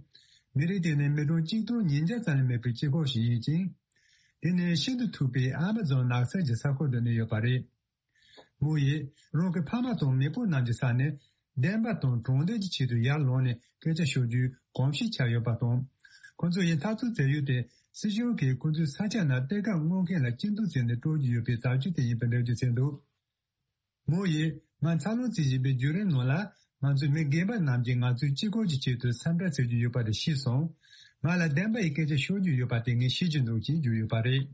མི་རིགས་དེ་ནི་མི་གྲངས་གཅིག་སྟོང་ཉིས་བརྒྱ་ཙམ་ལས་མེད་པའི་སྤྱི་ཁོག་ཞིག་ཡིན་ཅིང་། དེ་ནི་ཤིན་ཏུ་མཐུག་པའི་ཨ་མ་ཛོན་ནགས་ཚལ་གྱི་ས་ཁུལ་དུ་གནས་ཡོད་པ་རེད། མོ་ཡིས་རང་གི་ཕ་མ་དང་མེས་པོ་རྣམས་ཀྱི་ས་ནས་བདེན་པ་དང་དྲང་བདེན་གྱི་ཆེད་དུ་ཡར་ལངས་ནས་སྐད་ཆ་ཤོད་རྒྱུའི་གོམས་གཤིས་ཆགས་ཡོད་པ་དང་། ཁོ་ཚོ་ཡི་འཐབ་རྩོད་བྱ་ཡུལ་དེ་སྲིད་གཞུང་གིས་ཁོ་ཚོའི་ས་ཆ་ནང་གཏེར་ཁ་སྔོག་མཁན་ལ་སྐྱིད་སྡུག་བྱས་ནས་སྤྲོད་ཀྱི་ཡོད་པའི་བྱ་སྤྱོད་དེ་ཡིན་པའི་འགྲེལ་བརྗོད་བྱས་འདུག་མོ་ཡིས་ང་འཚར་ལོངས་བྱེད་བཞིན་པའི་བརྒྱུད་རིམ་ནང་ལ་ང་ཚོའི་མི་རྒན་པ་རྣམས་ཀྱིས་ང་ཚོའི་གཅིག་པུ་གྱི་ཆེད་དུ་འཚམས་འདྲི་བྱེད་ཀྱི་ཡོད་པ་དེ་ཤེས་སོང་། ང་ལ་བདེན་པ་ཡི་སྐད་ཆ་ཤོད་རྒྱུ་ཡོད་པ་དེ་ངས་ཤེས་ཀྱི་འདུག་ཅེས་བརྗོད་ཡོད་པ་རེད།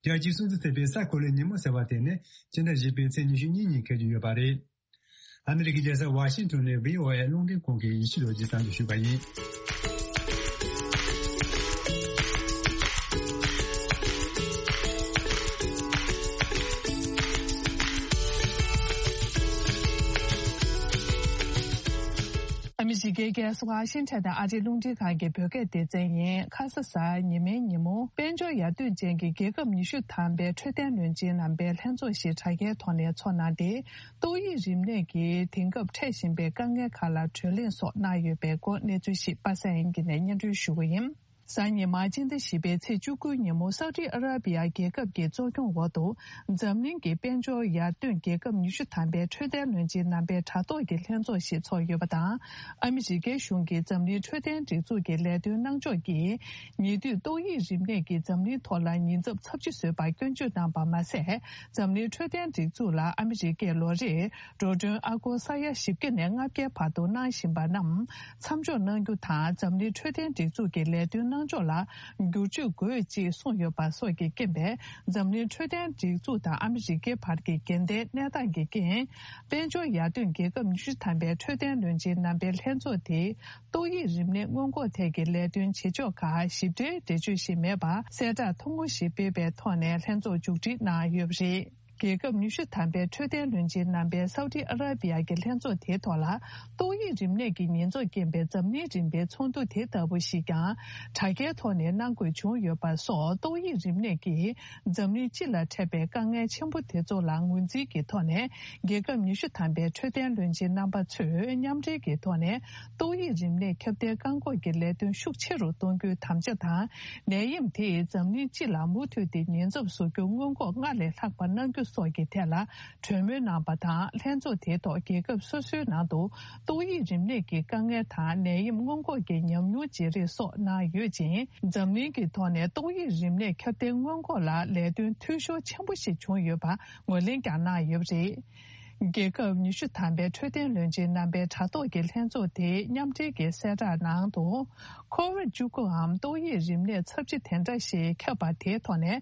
རྒྱལ་སྤྱིའི་སྲུང་བརྩི་ཐེབས་པའི་ས་ཁུ་ལུའི་ཉིན་མོ་ཟེར་བ་དེ་ནི་སྤྱི་ཟླ་བཞི་པའི་ཚེས་ཉི་ཤུ་གཉིས་ཉིན་འཁེལ་གྱི་ཡོད་པ་རེད། ཨ་མི་རི་ཀའི་རྒྱལ་ས་ཝ་ཤིང་ཊོན་ནས་བྷི་ཨོ་ཨེ་རླུང་འཕྲིན་ཁང་གི་ཡིན་ཤིས་ལོ་རྒྱུས་གསར་འགྱུར་ཞུས་པ་ཡིན། ཨ་མི་རི་ཀའི་རྒྱལ་ས་ཝ་ཤིང་ཊོན་དང་ཨ་རིའི་རླུང་འཕྲིན་ཁང་གི་བོད་སྐད་སྡེ་ཚན་ཡིན། ཁ་ས་གཟའ་ཉི་མའི་ཉིན་མོ་དཔལ་འབྱོར་ཡར་ཐོན་ཅན་གྱི་རྒྱལ་ཁབ་ཉི་ཤུ་ཐམ་པའི་འཕྲོད་བསྟེན་བློན་ཆེན་རྣམ་པའི་ལྷན་ཚོགས་ཤིག་དྲ་རྒྱའི་ཐོག་ནས་འཚོགས་གནང་སྟེ། ཏོག་དབྱིབས་རིམས་ནད་ཀྱིས་དེང་སྐབས་འཕྲད་བཞིན་པའི་དཀའ་ངལ་ཁག་ལ་གྲོས་གླེང་སོགས་གནང་ཡོད་པའི་སྐོར་གནས་ཚུལ་ཞིག་པ་སངས་དབྱངས་སྐྱིད་ནས་སྙན་སྒྲོན་ཞུ་གི་ཡིན། གཟའ་ཉི་མ་སྤྱི་ཟླ་བཞི་པའི་ཚེས་བཅུ་དགུ་ཉིན་མོ་སའུ་ཏི་ཨ་ར་པི་ཡ་རྒྱལ་ཁབ་ཀྱི་གཙོ་སྐྱོང་འོག་ཏུ་འཛམ་གླིང་གི་དཔལ་འབྱོར་ཡར་ཐོན་རྒྱལ་ཁབ་ཉི་ཤུ་ཐམ་པའི་འཕྲོད་བསྟེན་བློན་ཆེན་རྣམ་པའི་དྲ་ཐོག་གི་ལྷན་ཚོགས་ཤིག་ཚོགས་ཡོད་པ་དང་། ཨ་མི་རི་ཀའི་གཞུང་གིས་འཛམ་གླིང་འཕྲོད་བསྟེན་སྒྲིག་འཛུགས་ཀྱི་ལས་དོན་གནང་ཕྱོགས་ཀྱིས་ཉེ་དུས་ཏོག་དབྱིབས་རིམས་ནད་ཀྱིས་འཛམ་གླིང་ཐོག་ལ་ཉེན་ཚབས་ཚབས་ཆེ་བཟོས་པར་སྐྱོན་བརྗོད་གནང་པ་མ་ཟད། འཛམ་གླིང་འཕྲོད་བསྟེན་སྒྲིག་འཛུགས་ལ་ཨ་མི་རི་ཀས་ལོ་རེར་འགྲོ་གྲོན་ཨ་སྒོར་ས་ཡ་བཞི་བརྒྱ་ནས་ལྔ་བརྒྱའི་བར་དུ་གནང་བཞིན་པ་རྣམས་མཚམས་འཇོག་གནང་རྒྱུ་དང་། འཛམ་གླིང་འཕྲོད་བསྟེན་སྒྲིག་འཛུགས་ཀྱི་ལས་དོན་གནང་ཕྱོགས་ལ་བསྒྱུར་བཅོས་དགོས་ཅེས་གསུངས་ཡོད་པ་སོགས་ཀྱི་རྐྱེན་པས། འཛམ་གླིང་འཕྲོད་བསྟེན་སྒྲིག་འཛུགས་དང་ཨ་མི་རི་ཀའི་བར་གྱི་འགལ་ཟླའི་གནས་སྟངས་ཀྱི་རྐྱེན། དཔལ་འབྱོར་ཡར་ཐོན་རྒྱལ་ཁབ་ཉི་ཤུ་ཐམ་པའི་འཕྲོད་བསྟེན་བློན་ཆེན་རྣམ་པའི་ལྷན་ཚོགས་དེས་ཏོག་དབྱིབས་རིམས་ནད་སྔོན་འགོག་ཐད་ཀྱི་ལས་དོན་བྱེད་ཕྱོགས་ཁག་ཞིབ་ཕྲའི་འགྲེལ་བརྗོད་ཞིག་མེད་པར་གསལ་བསྒྲགས་ཐུང་ངུ་ཞིག་སྤེལ་བའི་ཐོག་ནས་ལྷན་ཚོགས་མཇུག་སྒྲིལ་གནང་ཡོད་པ་རེད། རྒྱལ་ཁབ་ཉི་ཤུ་ཐམ་པའི་འཕྲོད་བསྟེན་བློན་ཆེན་རྣམ་པའི་སའུ་ཏི་ཨ་ར་པི་ཡ་གི་ལྷན་ཚོགས་དེའི་ཐོག་ལ་ཏོག་དབྱིབས་རིམས་ནད་ཀྱི་ཉེན་ཚབས་རྐྱེན་པས་འཛམ་གླིང་རིམ་པའི་ཚོགས་འདུ་དེ་ལྟ་བུ་ཞིག་ཀྱང་དྲ་རྒྱའི་ཐོག་ནས་གནང་དགོས་བྱུང་ཡོད་པ་སོགས། ཏོག་དབྱིབས་རིམས་ནད་ཀྱིས་འཛམ་གླིང་སྤྱི་ལ་འཕྲད་པའི་དཀའ་ངལ་ཆེན་པོ་དེ་ཚོ་ལ་ངོས་འཛིན་གྱི་ཐོག་ནས། རྒྱལ་ཁབ་ཉི་ཤུ་ཐམ་པའི་འཕྲོད་བསྟེན་བློན་ཆེན་རྣམ་པ་ཚོས་མཉམ་འབྲེལ་གྱི་ཐོག་ནས་ཏོག་དབྱིབས་རིམས་ནད་ཁྱབ་གདལ་བཀག་འགོག་གི་ལས་དོན་ཤུགས་ཆེ་རུ་གཏོང་རྒྱུའི་དམ་བཅའ་དང་། ནད་ཡམས་དེས་འཛམ་གླིང་སྤྱི་ལ་མུ་མཐུད་དེ་ཉེན་ཚབས་བཟོ་རྒྱུ་སྔོན་འགོག་སྔར་ལས་ལྷག་པ་གནང་རྒྱུ་སོགས་ཀྱི་ཐད་ལ་གྲོས་མོལ་གནང་པ་དང་། ལྷན་ཚོགས་དེའི་ཐོག་རྒྱལ་ཁབ་སོ་སོའི་ནང་དུ་ཏོག་དབྱིབས་རིམས་ནད་ཀྱི་དཀའ་ངལ་དང་ནད་ཡམས་སྔོན་འགོག་གི་ཉམས་མྱོང་བརྗེ་རེས་སོགས་གནང་ཡོད་ཅིང་། འཛམ་གླིང་གི་ཐོག་ནས་ཏོག་དབྱིབས་རིམས་ནད་ཁྱབ་གདལ་སྔོན་འགོག་ལ་ལས་དོན་འཐུས་ཤོར་ཆེན་པོ་ཞིག་བྱུང་ཡོད་པ་ངོས་ལེན་ཀྱང་གནང་ཡོད་པ་རེད། རྒྱལ་ཁབ་ཉི་ཤུ་ཐམ་པའི་འཕྲོད་བསྟེན་བློན་ཆེན་རྣམ་པའི་དྲ་ཐོག་གི་ལྷན་ཚོགས་དེའི་མཉམ་འབྲེལ་གྱི་གསལ་བསྒྲགས་ནང་དུ། ཁོ་ཝིད་བཅུ་དགུའམ་ཏོག་དབྱིབས་རིམས་ནད་ཚབས་ཆེ་དེ་འདྲ་ཞིག་ཁྱབ་པ་དེའི་ཐོག་ནས།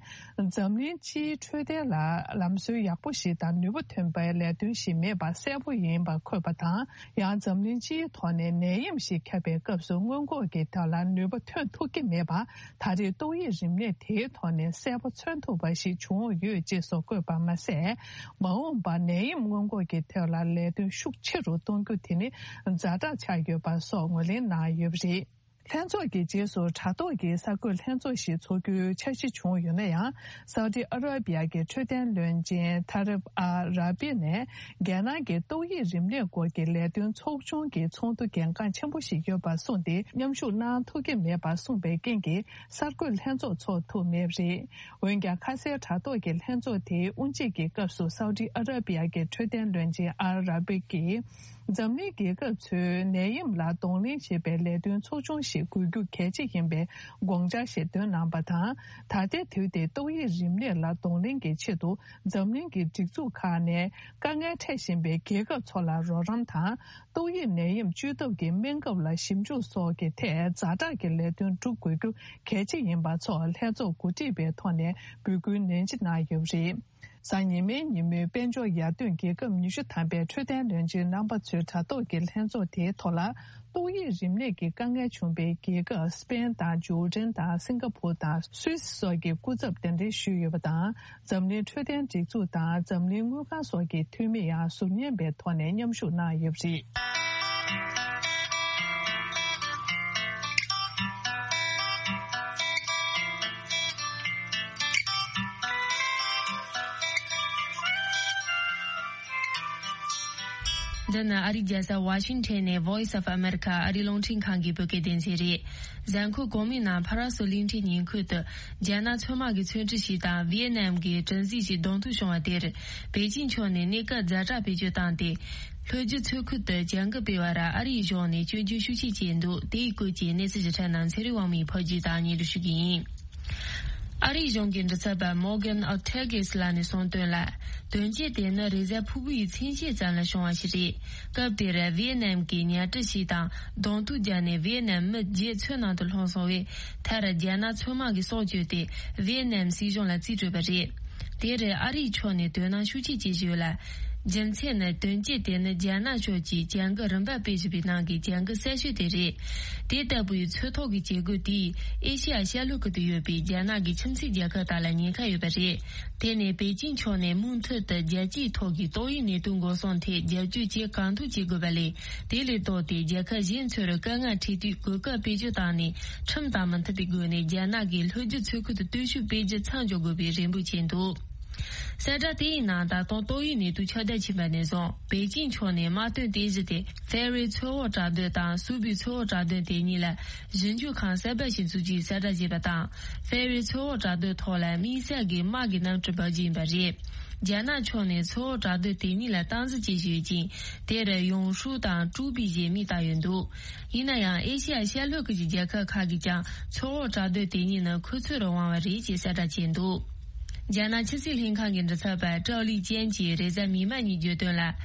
འཛམ་གླིང་སྤྱིའི་འཕྲོད་བསྟེན་ལ་ལམ་སྲོལ་ཡག་པོ་ཞིག་དང་ནུས་པ་ཐོན་པའི་ལས་དོན་ཞིག་མེད་པ་གསལ་པོ་ཡིན་པ་འཁོད་པ་དང་། ཡང་འཛམ་གླིང་སྤྱིའི་ཐོག་ནས་ནད་ཡམས་ཤིག་ཁྱབ་པའི་སྐབས་སུ་སྔོན་འགོག་གི་ཐད་ལ་ནུས་པ་ཐོན་ཐུབ་ཀྱི་མེད་པ། ད་རེས་ཏོག་དབྱིབས་རིམས་ནད་དེའི་ཐོག་ནས་གསལ་པོ་མཚོན་ཐུབ་པ་ཞིག་བྱུང་ཡོད་ཅེས་སོགས་བཀོད་པ་མ་ཟད། མ་འོངས་པར་ནད་ཡམས་སྔོན་འགོག་གི་ཐད་ལ་ལས་དོན་ཤུགས་ཆེ་རུ་གཏོང་རྒྱུ་དེ་ནི་ཛ་དྲག་ཆགས་ཡོད་པ་སོགས་ངོས་ལེན་གནང་ཡོད་པ་རེད། ལྷན་ཚོགས་ཀྱི་རྗེས་སུ་དྲ་ཐོག་གི་གསར་འགོད་ལྷན་ཚོགས་ཤིག་འཚོགས་རྒྱུའི་འཆར་གཞི་བྱུང་ཡོད་ན་ཡང་། སའུ་ཏི་ཨ་ར་པི་ཡ་གི་འཕྲོད་བསྟེན་བློན་ཆེན་ཐ་རིབ་ཨ་ར་པི་ནས། རྒྱལ་ནང་གི་ཏོག་དབྱིབས་རིམས་ནད་སྐོར་གྱི་ལས་དོན་ཚོགས་ཆུང་གི་ཚོགས་འདུ་གལ་འགངས་ཆེན་པོ་ཞིག་ཡོད་པར་གསུངས་ཏེ། མཉམ་ཞུགས་གནང་ཐུབ་ཀྱི་མེད་པར་གསུངས་པའི་རྐྱེན་གྱིས། གསར་འགོད་ལྷན་ཚོགས་འཚོགས་ཐུབ་མེད་པ་རེད། འོན་ཀྱང་། ཁ་སའི་དྲ་ཐོག་གི་ལྷན་ཚོགས་དེའི་དབུ་འབྱེད་ཀྱི་སྐབས་སུ། སའུ་ཏི་ཨ་ར་པི་ཡ་གི་འཕྲོད་བསྟེན་བློན་ཆེན་ཨལ་ར་བི་ཀྱིས། འཛམ་གླིང་རྒྱལ་ཁབ་ཚོས་ནད་ཡམས་ལ་གདོང་ལེན་བྱེད་པའི་ལས་དོན་ཚོགས་ཆུང་ཞིག་དགོས་རྒྱུ་གལ་ཆེ་ཡིན་པའི་དགོངས་འཆར་ཞིག་བཏོན་གནང་པ་དང་། ད་ལྟའི་དུས་དེ་ཏོག་དབྱིབས་རིམས་ནད་ལ་གདོང་ལེན་གྱི་ཆེད་དུ། འཛམ་གླིང་གི་སྒྲིག་འཛུགས་ཁག་ནས་དཀའ་ངལ་འཕྲད་བཞིན་པའི་རྒྱལ་ཁབ་ཚོ་ལ་རོགས་རམ་དང་། ཏོག་དབྱིབས་ནད་ཡམས་བཅོས་ཐབས་ཀྱི་སྨན་ཁབ་ལ་ཞིབ་འཇུག་སོགས་ཀྱི་ཐད་ཛ་དྲག་གི་ལས་དོན་སྒྲུབ་དགོས་རྒྱུ་གལ་ཆེ་ཡིན་པ་སོགས་ལྷན་ཚོགས་གོ་སྒྲིག་པའི་ཐོག་ནས་འབོད་སྐུལ་ནན་ཆེ་གནང་ཡོད་པ་རེད། གཟའ་ཉི་མའི་ཉིན་མོའི་དཔལ་འབྱོར་ཡར་ཐོན་རྒྱལ་ཁབ་ཉི་ཤུ་ཐམ་པའི་འཕྲོད་བསྟེན་བློན་ཆེན་རྣམ་པ་ཚོའི་དྲ་ཐོག་གི་ལྷན་ཚོགས་དེའི་ཐོག་ལ། ཏོག་དབྱིབས་རིམས་ནད་ཀྱི་དཀའ་ངལ་བྱུང་པའི་རྒྱལ་ཁབ་སི་པེན་དང་ཇོར་ཌན་དང་སིང་ག་ཕུར་དང་སུད་སི་སོགས་ཀྱི་སྐུ་ཚབ་གདན་འདྲེན་ཞུས་ཡོད་པ་དང་། འཛམ་གླིང་འཕྲོད་བསྟེན་སྒྲིག་འཛུགས་དང་འཛམ་གླིང་དངུལ་ཁང་སོགས་ཀྱི་འཐུས་མི་ཡང་ཟུར་ཉན་པའི་ཐོག་ནས་མཉམ་ཞུགས་གནང་ཡོད་པ་རེད། འདི་ནི་ཨ་རིའི་རྒྱལ་ས་ཝ་ཤིང་ཊོན་ནས་Voice of America ཨ་རིའི་རླུང་འཕྲིན་ཁང་གི་བོད་སྐད་སྡེ་ཚན་རེད། གཟའ་འཁོར་གོང་མའི་ནང་ཕ་ར་སུ་གླིང་ཕྲན་ཉིན་ཁུལ་དུ་རྒྱ་ནག་མཚོ་དམག་གི་ཚོན་ཁྲི་ཞིག་དང་ཝི་ཡེ་ནམ་གྱི་དྲུང་འཛིན་ཞིག་གདོང་ཐུག་བྱུང་བ་དེར། པེ་ཅིང་ཕྱོགས་ནས་གནས་སྐབས་ཛ་དྲག་བེད་སྤྱོད་བཏང་སྟེ། ལྷོ་རྒྱུད་མཚོ་ཁུལ་དུ་བྱ་འགུལ་སྤེལ་བར་ཨ་རིའི་གཞུང་ནས་སྐྱོན་བརྗོད་ཤུགས་ཆེ་བྱས་འདུག་དེའི་སྐོར་གྱི་གནས་ཚུལ་ཞིབ་ཕྲ་རྣམས་ཚེ་རིང་དབང་མོས་ཕབ་སྒྱུར་དང་སྙན་སྒྲོན་ཞུ་གི་ཡིན། ཨ་རིའི་གཞུང་གི་མགྲིན་ཚབ་པ་Morgan Ortagus ལགས་ནས་གསུངས་དོན་ལ། དོན་རྐྱེན་དེ་ནི་རེས་གཟའ་ཕུར་བུའི་མཚན་ཕྱེད་ཙམ་ལ་བྱུང་བ་ཞིག་རེད། སྐབས་དེར་ཝི་ཡེ་ནམ་གྱི་ཉ་གྲུ་ཞིག་དང་གདོང་ཐུག་བརྒྱབ་ནས་ཝི་ཡེ་ནམ་མི་བརྒྱད་མཚོ་ནང་དུ་ལྷུང་སོང་བས། མཐར་རྒྱ་ནག་མཚོ་དམག་གིས་སྲོག་བཅད་དེ་ཝི་ཡེ་ནམ་སྲིད་གཞུང་ལ་རྩིས་སྤྲོད་པ་རེད། དེར་ཨ་རིའི་ཕྱོགས་ནས་དོ་སྣང་ཤུགས་ཆེ་བྱེད་བཞིན་ཡོད་ལ། རྒྱུ་མཚན་ནི་དོན་རྐྱེན་དེ་ནི་རྒྱ་ནག་ཕྱོགས་ཀྱིས་བྱ་འགུལ་རིམ་པ་སྤེལ་བཞིན་པའི་ནང་གི་བྱ་འགུལ་གསར་ཤོས་དེ་རེད། དེ་ལྟ་བུའི་མཚོ་ཐོག་གི་བྱེད་སྒོ་དེས་ཨེ་ཤེ་ཡ་ཤར་ལྷོ་ཁུལ་དུ་ཡོད་པའི་རྒྱ་ནག་གི་ཁྱིམ་མཚེས་རྒྱལ་ཁབ་དག་ལ་ཉེན་ཁ་ཡོད་པ་རེད། དེ་ནས་པེ་ཅིང་ཕྱོགས་ནས་མུ་མཐུད་དུ་རྒྱལ་སྤྱིའི་ཐོག་གི་ཏོག་དབྱིབས་ནད་དུག་འགོག་སྲུང་ཐད་རྒྱབ་སྐྱོར་བྱེད་གང་ཐུབ་བྱེད་དགོས་པ་ལས། དེ་ལས་ལྡོག་སྟེ་རྒྱལ་ཁབ་གཞན་ཚོར་དཀའ་ངལ་འཕྲད་དུས་གོ་སྐབས་བེད་སྤྱོད་བཏང་ནས་ཁྲིམས་དང་མི་མཐུན་པའི་སྒོ་ནས་རྒྱ་ནག་གིས་ལྷོ་རྒྱུད་མཚོ་ཁུལ་དུ་སྟོབས་ཤུགས་སྤེལ་རྒྱུ་མཚམས་འཇོག་དགོས་པའི་རེ་འབོད་བྱས་འདུག་གསལ་བསྒྲགས་དེའི་ནང་ད་དུང་ཏོག་དབྱིབས་ནད་དུག་ཁྱབ་གདལ་ཕྱིན་པ་ནས་བཟུང་པེ་ཅིང་ཕྱོགས་ནས་དམག་དོན་རྟེན་གཞི་དེ་ཧྥེ་རི་མཚོ་འོག་བྲག་རྡོ་དང་སུའུ་པི་མཚོ་འོག་བྲག་རྡོ་དེ་གཉིས་ལ་ཞིབ་འཇུག་ཁང་གསར་པ་ཞིག་འཛུགས་རྒྱུའི་གསལ་བསྒྲགས་བྱས་པ་དང་། ཧྥེ་རི་མཚོ་འོག་བྲག་རྡོའི་ཐོག་ལ་དམིགས་བསལ་གྱི་དམག་གི་གནམ་གྲུ་འབབ་རྒྱུ་ཡིན་པ་རེད། རྒྱ་ནག་ཕྱོགས་ནས་མཚོ་འོག་བྲག་རྡོ་དེ་གཉིས་ལ་སྟངས་འཛིན་བྱེད་བཞིན་ཡོད་ཅིང་། དེར་ཡོང་ཧྲུའུ་དང་ཀྲུའུ་པི་ཞེས་མིང་བཏགས་ཡོད་འདུག་ཡིན་ན་ཡང་ཨེ་ཤེ་ཡ་ཤར་ལྷོ་ཁུལ་གྱི་རྒྱལ་ཁབ་ཁག་གིས་ཀྱང་མཚོ་འོག་བྲག་རྡོ་དེ་གཉིས་ནི་ཁོ་ཚོར་དབང་བ་རེད་ཅེས་གསལ་བསྒྲགས་བྱས་འདུག་རྒྱ་ནག་ཕྱི་སྲིད་ལྷན་ཁང་གི་མགྲིན་ཚབ་པ་ཀྲའོ་ལི་ཅན་གྱིས་རེས་གཟའ་མིག་དམར་ཉིན་བརྗོད་དོན་ལ།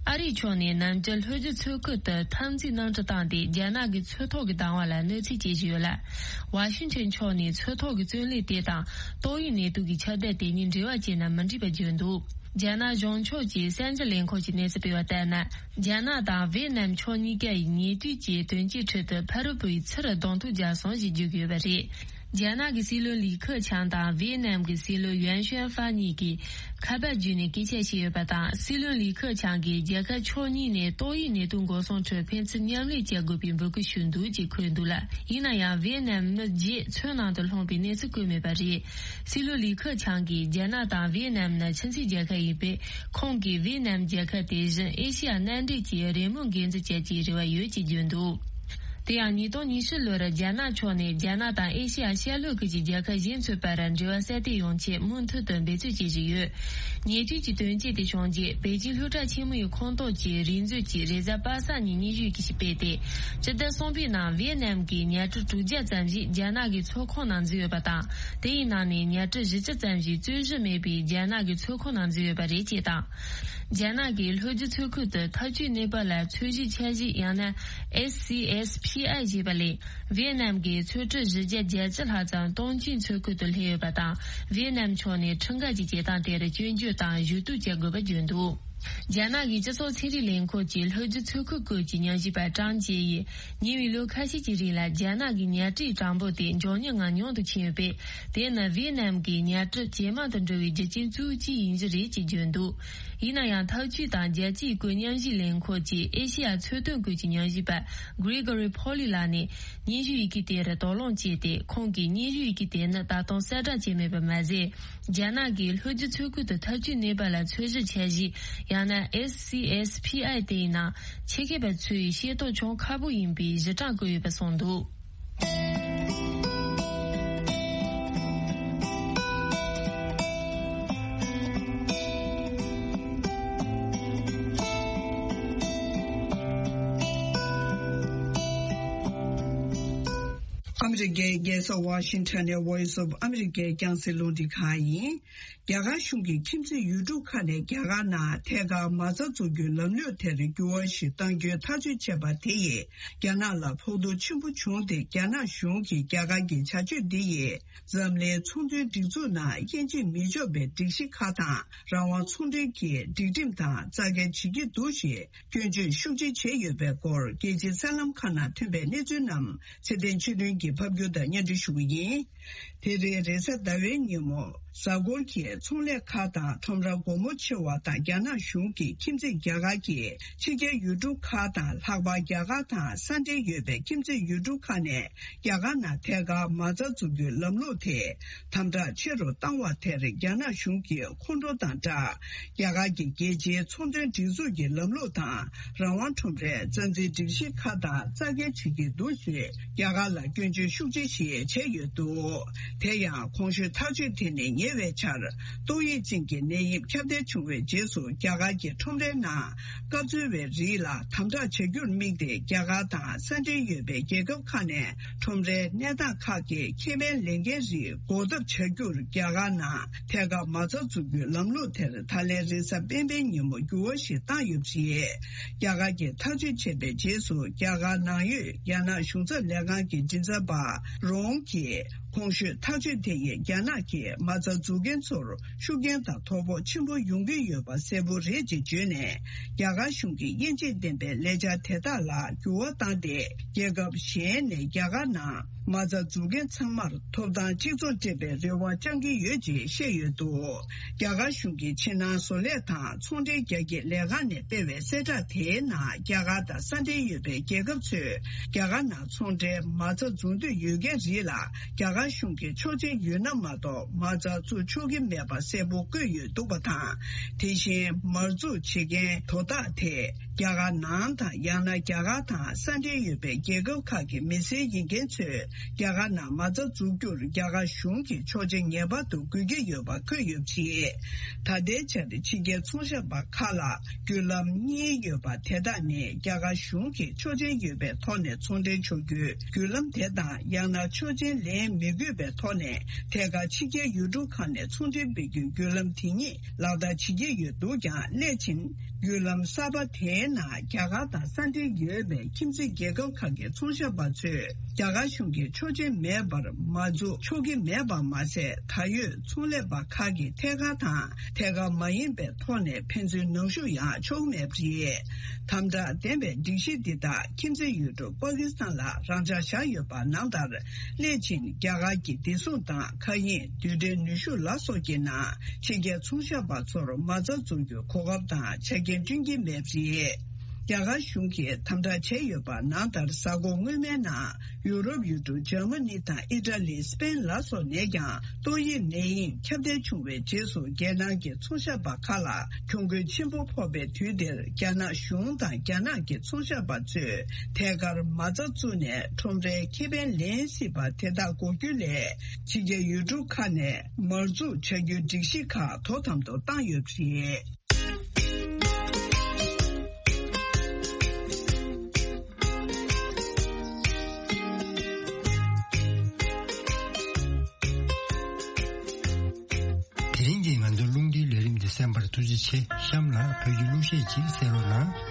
ཨ་རིའི་ཕྱོགས་ནས་ནམ་རྒྱུན་ལྷོ་རྒྱུད་མཚོ་ཁུལ་དུ་འཐབ་འཛིང་གནམ་གྲུ་བཏང་སྟེ་རྒྱ་ནག་གི་མཚོ་ཐོག་གི་བདག་དབང་ལ་གནོད་འཚེ་བྱེད་བཞིན་ཡོད་ལ། ཝ་ཤིང་ཊོན་ཕྱོགས་ནས་མཚོ་ཐོག་གི་བཙོན་ལས་དེ་དང་ཏོག་དབྱིབས་ནད་དུག་གི་ཁྱབ་གདལ་དེ་གཉིས་འབྲེལ་བ་བྱས་ན་མི་འགྲིག་པ་བརྗོད་འདུག་རྒྱ་ནག་གཞུང་ཕྱོགས་ཀྱི་གསར་འགྱུར་ལས་ཁང་གིས་གནས་ཚུལ་སྤེལ་བ་ལྟར་ན། རྒྱ་ནག་དང་ཝེ་ནམ་ཕྱོགས་གཉིས་ཀ་ཡིས་ཉེ་དུས་ཀྱི་དོན་རྐྱེན་ཁྲོད་དུ་ཕ་རོལ་པོའི་ཚུར་གདོང་ཐུག་བརྒྱབ་སོང་ཞེས་བརྗོད་ཀྱི་ཡོད་པ་རེད། རྒྱ་ནག་གི་སྲིད་བློན་ལི་ཁེ་ཆང་དང་ཝེ་ནམ་གྱི་སྲིད་བློན་ཡུན་ཤུན་ཧྥ་གཉིས་ཀྱིས་ཁ་པར་བརྒྱུད་ནས་སྐད་ཆ་བཤད་ཡོད་པ་དང་། སྲིད་བློན་ལི་ཁེ་ཆང་གིས་རྒྱལ་ཁབ་ཕྱོགས་གཉིས་ནས་ཏོག་དབྱིབས་ནད་དུག་འགོག་སྲུང་ཁྲོད་ཕན་ཚུན་མཉམ་ལས་བྱ་དགོས་པའི་འབོད་སྐུལ་ཞུས་འདུག་ཅེས་འཁོད་འདུག་ལ། ཡིན་ན་ཡང་ཝེ་ནམ་མི་བརྒྱད་མཚོའི་ནང་དུ་ལྷུང་པའི་གནས་ཚུལ་བཀོད་མེད་པ་རེད། སྲིད་བློན་ལི་ཁེ་ཆང་གིས་རྒྱ་ནག་དང་ཝེ་ནམ་ནི་ཁྱིམ་མཚེས་རྒྱལ་ཁབ་ཡིན་པས། ཁོང་གིས་ཝེ་ནམ་རྒྱལ་ཁབ་དེ་བཞིན་ཨེ་ཤེ་ཡ་མནའ་འབྲེལ་གྱི་རེས་མོས་འགན་འཛིན་བྱ་རྒྱུའི་རེ་བ་ཡོད་ཅེས་བརྗོད་འདུག་དེ་ཡང་ཉིས་སྟོང་ཉི་ཤུ་ལོར་རྒྱ་ནག་ཕྱོགས་ནས་རྒྱ་ནག་དང་ཨེ་ཤེ་ཡ་ཤར་ལྷོ་ཁུལ་གྱི་རྒྱལ་ཁབ་གཞན་ཚོའི་བར་འབྲེལ་བ་གསར་གཏོད་ཡོང་ཆེད་མུ་མཐུད་དུ་འབད་བརྩོན་བྱེད་བཞིན་ཡོད། ཉེ་དུས་ཀྱི་དོན་རྐྱེན་དེ་བྱུང་རྗེས་པེ་ཅིང་སློབ་གྲྭ་ཆེན་མོ་ཡི་ཁོངས་གཏོགས་ཀྱི་རིག་མཛོད་ཀྱིས་རེས་གཟའ་པ་སངས་ཉིན་སྙན་ཞུ་ཞིག་སྤེལ་ཏེ། སྤྱི་ཟླ་གསུམ་པའི་ནང་ཝེ་ནམ་གྱི་ཉ་གྲུ་དྲུག་བརྒྱ་ཙམ་ཞིག་རྒྱ་ནག་གི་མཚོ་ཁོངས་ནང་འཛུལ་ཡོད་པ་དང་། དེའི་ནང་ནས་ཉ་གྲུ་བཞི་བཅུ་ཙམ་ཞིག་རྩོད་གཞི་མེད་པའི་རྒྱ་ནག་གི་མཚོ་ཁོངས་ནང་འཛུལ་ཡོད་པ་རེད་ཅེས་དང་། རྒྱ་ནག་གིས་ལྷོ་རྒྱུད་མཚོ་ཁུལ་དུ་འཐབ་ཇུས་གནས་བབ་ལ་ཚོད་གཞི་འཆར་གཞི་ཡང་ན་S C S P I ཞེས་པ་ལས། ཝེ་ནམ་གྱི་མཚོ་གྲུ་བཞི་བརྒྱ་བརྒྱད་ཅུ་ལྷག་ཙམ་ཏོང་ཅིན་མཚོ་ཁུལ་དུ་སླེབས་ཡོད་པ་དང་། ཝེ་ནམ་ཕྱོགས་ནས་ཁྲིམས་འགལ་གྱི་བྱེད་སྟངས་དེར་སྐྱོན་བརྗོད་དང་ཞུ་གཏུག་བྱེད་དགོས་པ་བརྗོད་འདུག་རྒྱ་ནག་གི་སྤྱི་ཚོགས་ཚན་རིག་ལས་ཁུངས་ཀྱི་ལྷོ་རྒྱུད་མཚོ་ཁུལ་སྐོར་གྱི་ཉམས་ཞིབ་པ་ཀྲང་ཅེ་ཡིས་ཉེ་བའི་ལོ་ཁ་ཤས་ཀྱི་རིང་ལ་རྒྱ་ནག་གི་ཉ་གྲུའི་གྲངས་འབོར་དེ་མགྱོགས་མྱུར་ངང་ཉུང་དུ་ཕྱིན་ཡོད་པས། དེ་ནི་ཝེ་ནམ་གྱི་ཉ་གྲུ་ཇེ་མང་དུ་འགྲོ་བའི་རྒྱུ་རྐྱེན་གཙོ་བོ་གཅིག་ཡིན་རྒྱུ་རེད་ཅེས་བརྗོད་འདུག་ཡིན་ན་ཡང་། འཐབ་ཇུས་དང་རྒྱལ་སྤྱིའི་བཀོད་ཉམས་ཞིབ་ལས་ཁུངས་ཀྱི་ཨེ་ཤེ་ཡ་འཚོ་དོན་སྐོར་གྱི་ཉམས་ཞིབ་པ་Gregory Poli ལགས་ནས་སྙན་ཞུ་ཡི་གེ་དེར་དོགས་སློང་བྱས་ཏེ། ཁོང་གིས་སྙན་ཞུ་ཡི་གེ་དེ་ནི་ད་དུང་གསལ་བསྒྲགས་བྱས་མེད་པ་མ་ཟད། རྒྱ་ནག་གིས་ལྷོ་རྒྱུད་མཚོ་ཁུལ་དུ་འཐབ་ཇུས་གནས་བབ་ལ་ཚོད་གཞི་འཆར་གཞི་ཡང་ན་S C S P I དེའི་ནང་ཆེད་མཁས་པ་ཚོས་ཤེས་རྟོགས་བྱུང་ཁག་པོ་ཡིན་པའི་གཞི་གྲངས་བཀོད་ཡོད་པ་གསུངས་འདུག་ཨ་མི་རི་ཀའི་རྒྱལ་ས་ཝ་ཤིང་ཊོན་ནས་Voice of America རྒྱང་སྲིང་རླུང་འཕྲིན་ཁང་ཡིན། རྒྱ་གར་གཞུང་གིས་ཁྱིམ་མཚེས་ཡུལ་གྲུ་ཁག་ནས་རྒྱ་གར་ནང་ཐད་ཀར་མ་རྩ་འཛུགས་རྒྱུའི་ལམ་ལུགས་དེར་འགྱུར་བ་ཞིག་གཏང་རྒྱུའི་ཐག་གཅོད་བྱས་པ་དེ་ཡིས་རྒྱ་ནག་ལ་ཕོག་ཐུག་ཆེན་པོ་བྱུང་སྟེ། རྒྱ་ནག་གཞུང་གིས་རྒྱ་གར་གྱི་བྱ་སྤྱོད་འདི་ཡིས་འཛམ་གླིང་ཚོང་དོན་སྒྲིག་འཛུགས་ནང་དབྱེ་འབྱེད་མི་ཆོག་པའི་སྒྲིག་གཞི་ཁག་དང་། རང་དབང་ཚོང་འབྲེལ་གྱི་སྒྲིག་ཁྲིམས་དང་རྩ་འགལ་བྱེད་ཀྱི་འདུག་ཞེས་སྐྱོན་བརྗོད་ཤུགས་ཆེ་བྱས་ཡོད་པའི་སྐོར། རྒྱལ་སྤྱིའི་གསར་ལམ་ཁག་ནང་ཐོན་པའི་གནས་ཚུལ་རྣམས་ཚེ་བརྟན་ཆོས་སྒྲོན་གྱིས་ ཕབ་སྒྱུར་དང་སྙན་སྒྲོན་ཞུ་གི་ཡིན། དེ་རིང་རེས་གཟའ་ཟླ་བའི་ཉིན་མོ། གཟའ་འཁོར་གྱི་ཚོང་ལས་ཁག་དང་ཁྲོམ་ར་སྒོ་མོ་ཕྱེ་བ་དང་། རྒྱ་ནག་གཞུང་གིས་ཁྱིམ་མཚེས་རྒྱ་གར་གྱི་ཕྱི་རྒྱལ་ཡུལ་གྲུ་ཁག་དང་། ལྷག་པར་རྒྱ་གར་དང་ས་འབྲེལ་ཡོད་པའི་ཁྱིམ་མཚེས་ཡུལ་གྲུ་ཁག་ནས་རྒྱ་གར་ནང་ཐད་ཀར་མ་རྩ་འཛུགས་རྒྱུའི་ལམ་ལུགས་དེ་དམ་དྲག་ཆེ་རུ་བཏང་བ་དེར། རྒྱ་ནག་གཞུང་གིས་ཁོང་ཁྲོ་དང་སྦྲགས། རྒྱ་གར་གྱི་རྒྱལ་སྤྱིའི་ཚོང་དོན་སྒྲིག་འཛུགས་ཀྱི་ལམ་ལུགས་དང་། རང་དབང་ཁྲོམ་རའི་རྩ་འཛིན་སྒྲིག་གཞི་ཁག་དང་རྩ་འགལ་བྱེད་ཀྱི་འདུག་ཞེས། རྒྱ་གར་ལ་སྐྱོན་བརྗོད་ཤུགས་ཆེ་ཞིག་བྱས་ཡོད་འདུག་དེ་ཡང་གོང་ཞུས་ཐག་གཅོད་དེ་ནི་ཉེ་བའི་ཆར་ཏོག་དབྱིབས་ཅན་གྱི་ནད་ཡམས་ཁྱབ་གདལ་བྱུང་བའི་རྗེས་སུ། རྒྱ་གར་གྱི་ཁྲོམ་རའི་ནང་སྐབས་འཚོལ་བའི་རིགས་ལ་དམ་དྲག་བྱ་རྒྱུར་དམིགས་ཏེ། རྒྱ་གར་དང་ས་འབྲེལ་ཡོད་པའི་རྒྱལ་ཁབ་ཁག་ནས་ཁྲོམ་རའི་གནས་སྟངས་ཁག་གི་ཁེ་ཕན་ལེན་མཁན་རིགས་འགོག་ཐབས་བྱ་རྒྱུར། རྒྱ་གར་ནང་ཐད་ཀར་མ་རྩ་འཛུགས་རྒྱུའི་ལམ་ལུགས་དེར། ད་ལན་རེས་གཟའ་སྤེན་པའི་ཉིན་མོ་འགྱུར་བ་ཞིག་བཏང་ཡོད་པ་རེད། རྒྱ་གར་གྱིས་ཐག་གཅོད་བྱས་པའི་རྗེས་སུ། རྒྱ་གར་ནང་ཡོད་རྒྱ་ནག་གཞུང་ཚབ་ལས་ཁང་གི་མགྲིན་ཚབ་པ་རོང་གིས། གོང་ཞུས་ཐག་གཅོད་དེ་ཡིས་རྒྱ་ནག་གིས་མ་རྩ་འཛུགས་མཁན་ཚོར་ཤུགས་རྐྱེན་དང་དོ་ཕོག་ཆེན་པོ་ཡོང་གི་ཡོད་པ་གསལ་པོ་རེད་ཅེས་བརྗོད་ནས། རྒྱ་གར་གཞུང་གིས་དབྱེ་འབྱེད་ལྡན་པའི་ལས་འཆར་དེ་དག་ལ་འགྱུར་བ་བཏང་སྟེ། རྒྱལ་ཁབ་གཞན་ནས་རྒྱ་གར་ནང་མ་རྩ་འཛུགས་མཁན་ཚང་མར་ཐོབ་ཐང་གཅིག་མཚུངས་སྤྲད་པའི་རེ་བ་བཅང་གི་ཡོད་ཅེས་བཤད་ཡོད་འདུག་རྒྱ་གར་གཞུང་གིས་ཕྱི་ནང་བཟོ་ལས་དང་ཚོང་འབྲེལ་རྒྱ་སྐྱེད་ལས་ཁང་ནས་སྤེལ་བའི་གསལ་བསྒྲགས་དེའི་ནང་། རྒྱ་གར་དང་ས་འབྲེལ་ཡོད་པའི་རྒྱལ་ཁབ་ཚོས་རྒྱ་གར་ནང་ཚོང་འབྲེལ་མ་རྩ་འཛུགས་འདོད་ཡོད་མཁན་རིགས་ལ། རྒྱ་གར་གཞུང་གིས་ཆོག་མཆན་ཡོད་ན་མ་གཏོགས་མ་རྩ་བཙུགས་ཆོག་གི་མེད་པ་གསལ་པོ་བཀོད་ཡོད་འདུག་པ་དང་། དེ་བཞིན་མར་འཛུགས་བྱེད་མཁན་དོ་བདག་དེ་རྒྱ་གར་ནང་དང་། ཡང་ན་རྒྱ་གར་དང་ས་འབྲེལ་ཡོད་པའི་རྒྱལ་ཁབ་ཁག་གི་མི་སེར་ཡིན་མཁན་ཚོས་རྒྱ་གར་ནང་མ་རྩ་འཛུགས་རྒྱུར་རྒྱ་གར་གཞུང་གིས་ཆོག་མཆན་ངེས་པར་དུ་དགོས་ཀྱི་ཡོད་པ་འཁོད་ཡོད་པ་རེད། ད་ལྟའི་ཆར་ཕྱི་རྒྱལ་ཚོང་ཞབས་པ་ཁག་ལ་བརྒྱུད་ལམ་གཉིས་ཡོད་པ་དེ་དག་ནི། རྒྱ་གར་གཞུང་གིས་ཆོག་མཆན་ཡོད་པའི་ཐོག་ནས་ཚོང་འབྲེལ་ཆོག་རྒྱུའི་བརྒྱུད་ལམ་དེ་དང་། ཡང་ན་ཆོག་མཆན་ལེན་མི་དགོས་པའི་ཐོག་ནས་ཐད་ཀར་ཕྱི་རྒྱལ་ཡུལ་གྲུ་ཁག་ནས་ཚོང་འབྲེལ་སྤེལ་རྒྱུའི་བརྒྱུད་ལམ་དེ་ཉིད་ལག་བསྟར་བྱེད་ཀྱི་ཡོད་འདུག་ཀྱང་། སླད་ཕྱིན་བརྒྱུད་ལམ་གསར་པ་དེའི་ནང་རྒྱ་གར་དང་ས་འབྲེལ་ཡོད་པའི་ཁྱིམ་མཚེས་རྒྱལ་ཁབ་ཁག་གི་ཚོང་ཞབས་པ་ཚོས་རྒྱ་གར་གཞུང་གི་ཆོག་མཆན་མེད་པར་མ་འཛུགས་ཆོག་གི་མེད་པ་མ་ཟད། ད་ཡོད་ཚོང་ལས་པ་ཁག་གིས་ཐད་ཀར་དང་ཐད་ཀར་མ་ཡིན་པའི་ཐོག་ནས་ཕན་ཚུན་ནང་ཞུགས་ཡང་ཆོག་མེད་པ་རེད། དམ་དྲག་ལྡན་པའི་སྒྲིག་གཞི་འདི་དག་ཁྱིམ་མཚེས་ཡུལ་གྲུ་པ་ཀི་སི་ཐན་ལ་རང་འཇགས་བཞག་ཡོད་པ་ནང་ལྟར། སླད་ཕྱིན་རྒྱ་གར་གྱི་བདེ་སྲུང་དང་། མཁའ་དབྱིངས་རྡུལ་ཕྲན་ནུས་ཤུགས་ལ་སོགས་ཀྱི་ནང་ཕྱི་རྒྱལ་ཚོང་ཞབས་པ་ཚོར་མ་རྩ་འཛུགས་རྒྱུའི་གོ་སྐབས་དང་ཆ་རྐྱེན་བསྐྲུན་གྱི་མེད་པ་རེད། རྒྱ་གར་གཞུང་གིས་དམ་དྲག་བྱས་ཡོད་པ་ནང་ལྟར། གཟའ་འཁོར་སྔོན་མའི་ནང་ཡུ་རོབ་ཡུལ་གྲུ་འཇར་མ་ནི་དང་ཨི་ཊ་ལི། སི་པེན་ལ་སོགས་ནས་ཀྱང་ཏོག་དབྱིབས་ནད་ཡམས་ཁྱབ་གདལ་བྱུང་བའི་རྗེས་སུ། རྒྱལ་ནང་གི་ཚོང་ཞབས་པ་ཁག་ལ་གྱོང་གུན་ཆེན་པོ་ཕོག་པའི་དུས་འདིར། རྒྱ་ནག་གཞུང་དང་རྒྱ་ནག་གི་ཚོང་ཞབས་པ་ཚོས་ཐད་ཀར་མ་རྩ་བཙུགས་ནས་ཁྲོམ་རའི་ཁེ་ཕན་ལེན་སྲིད་པ་དེ་དག་འགོག་རྒྱུ་སླད། ཕྱི་རྒྱལ་ཡུལ་གྲུ་ཁག་ནས་མར་འཛུགས་བྱ་རྒྱུའི་སྒྲིག་གཞི་ཁག་དོ་དམ་དུ་བཏང་ཡོད་པ་རེད། དེ་རིང་གི་ང་ཚོའི་རླུང་འཕྲིན་ལས་རིམ་འདི་གསན་པར་ཐུགས་རྗེ་ཆེ། གཤམ་ལ་བོད་ཀྱི་གླུ་གཞས་ཅིག་གསན་རོགས་གནང་།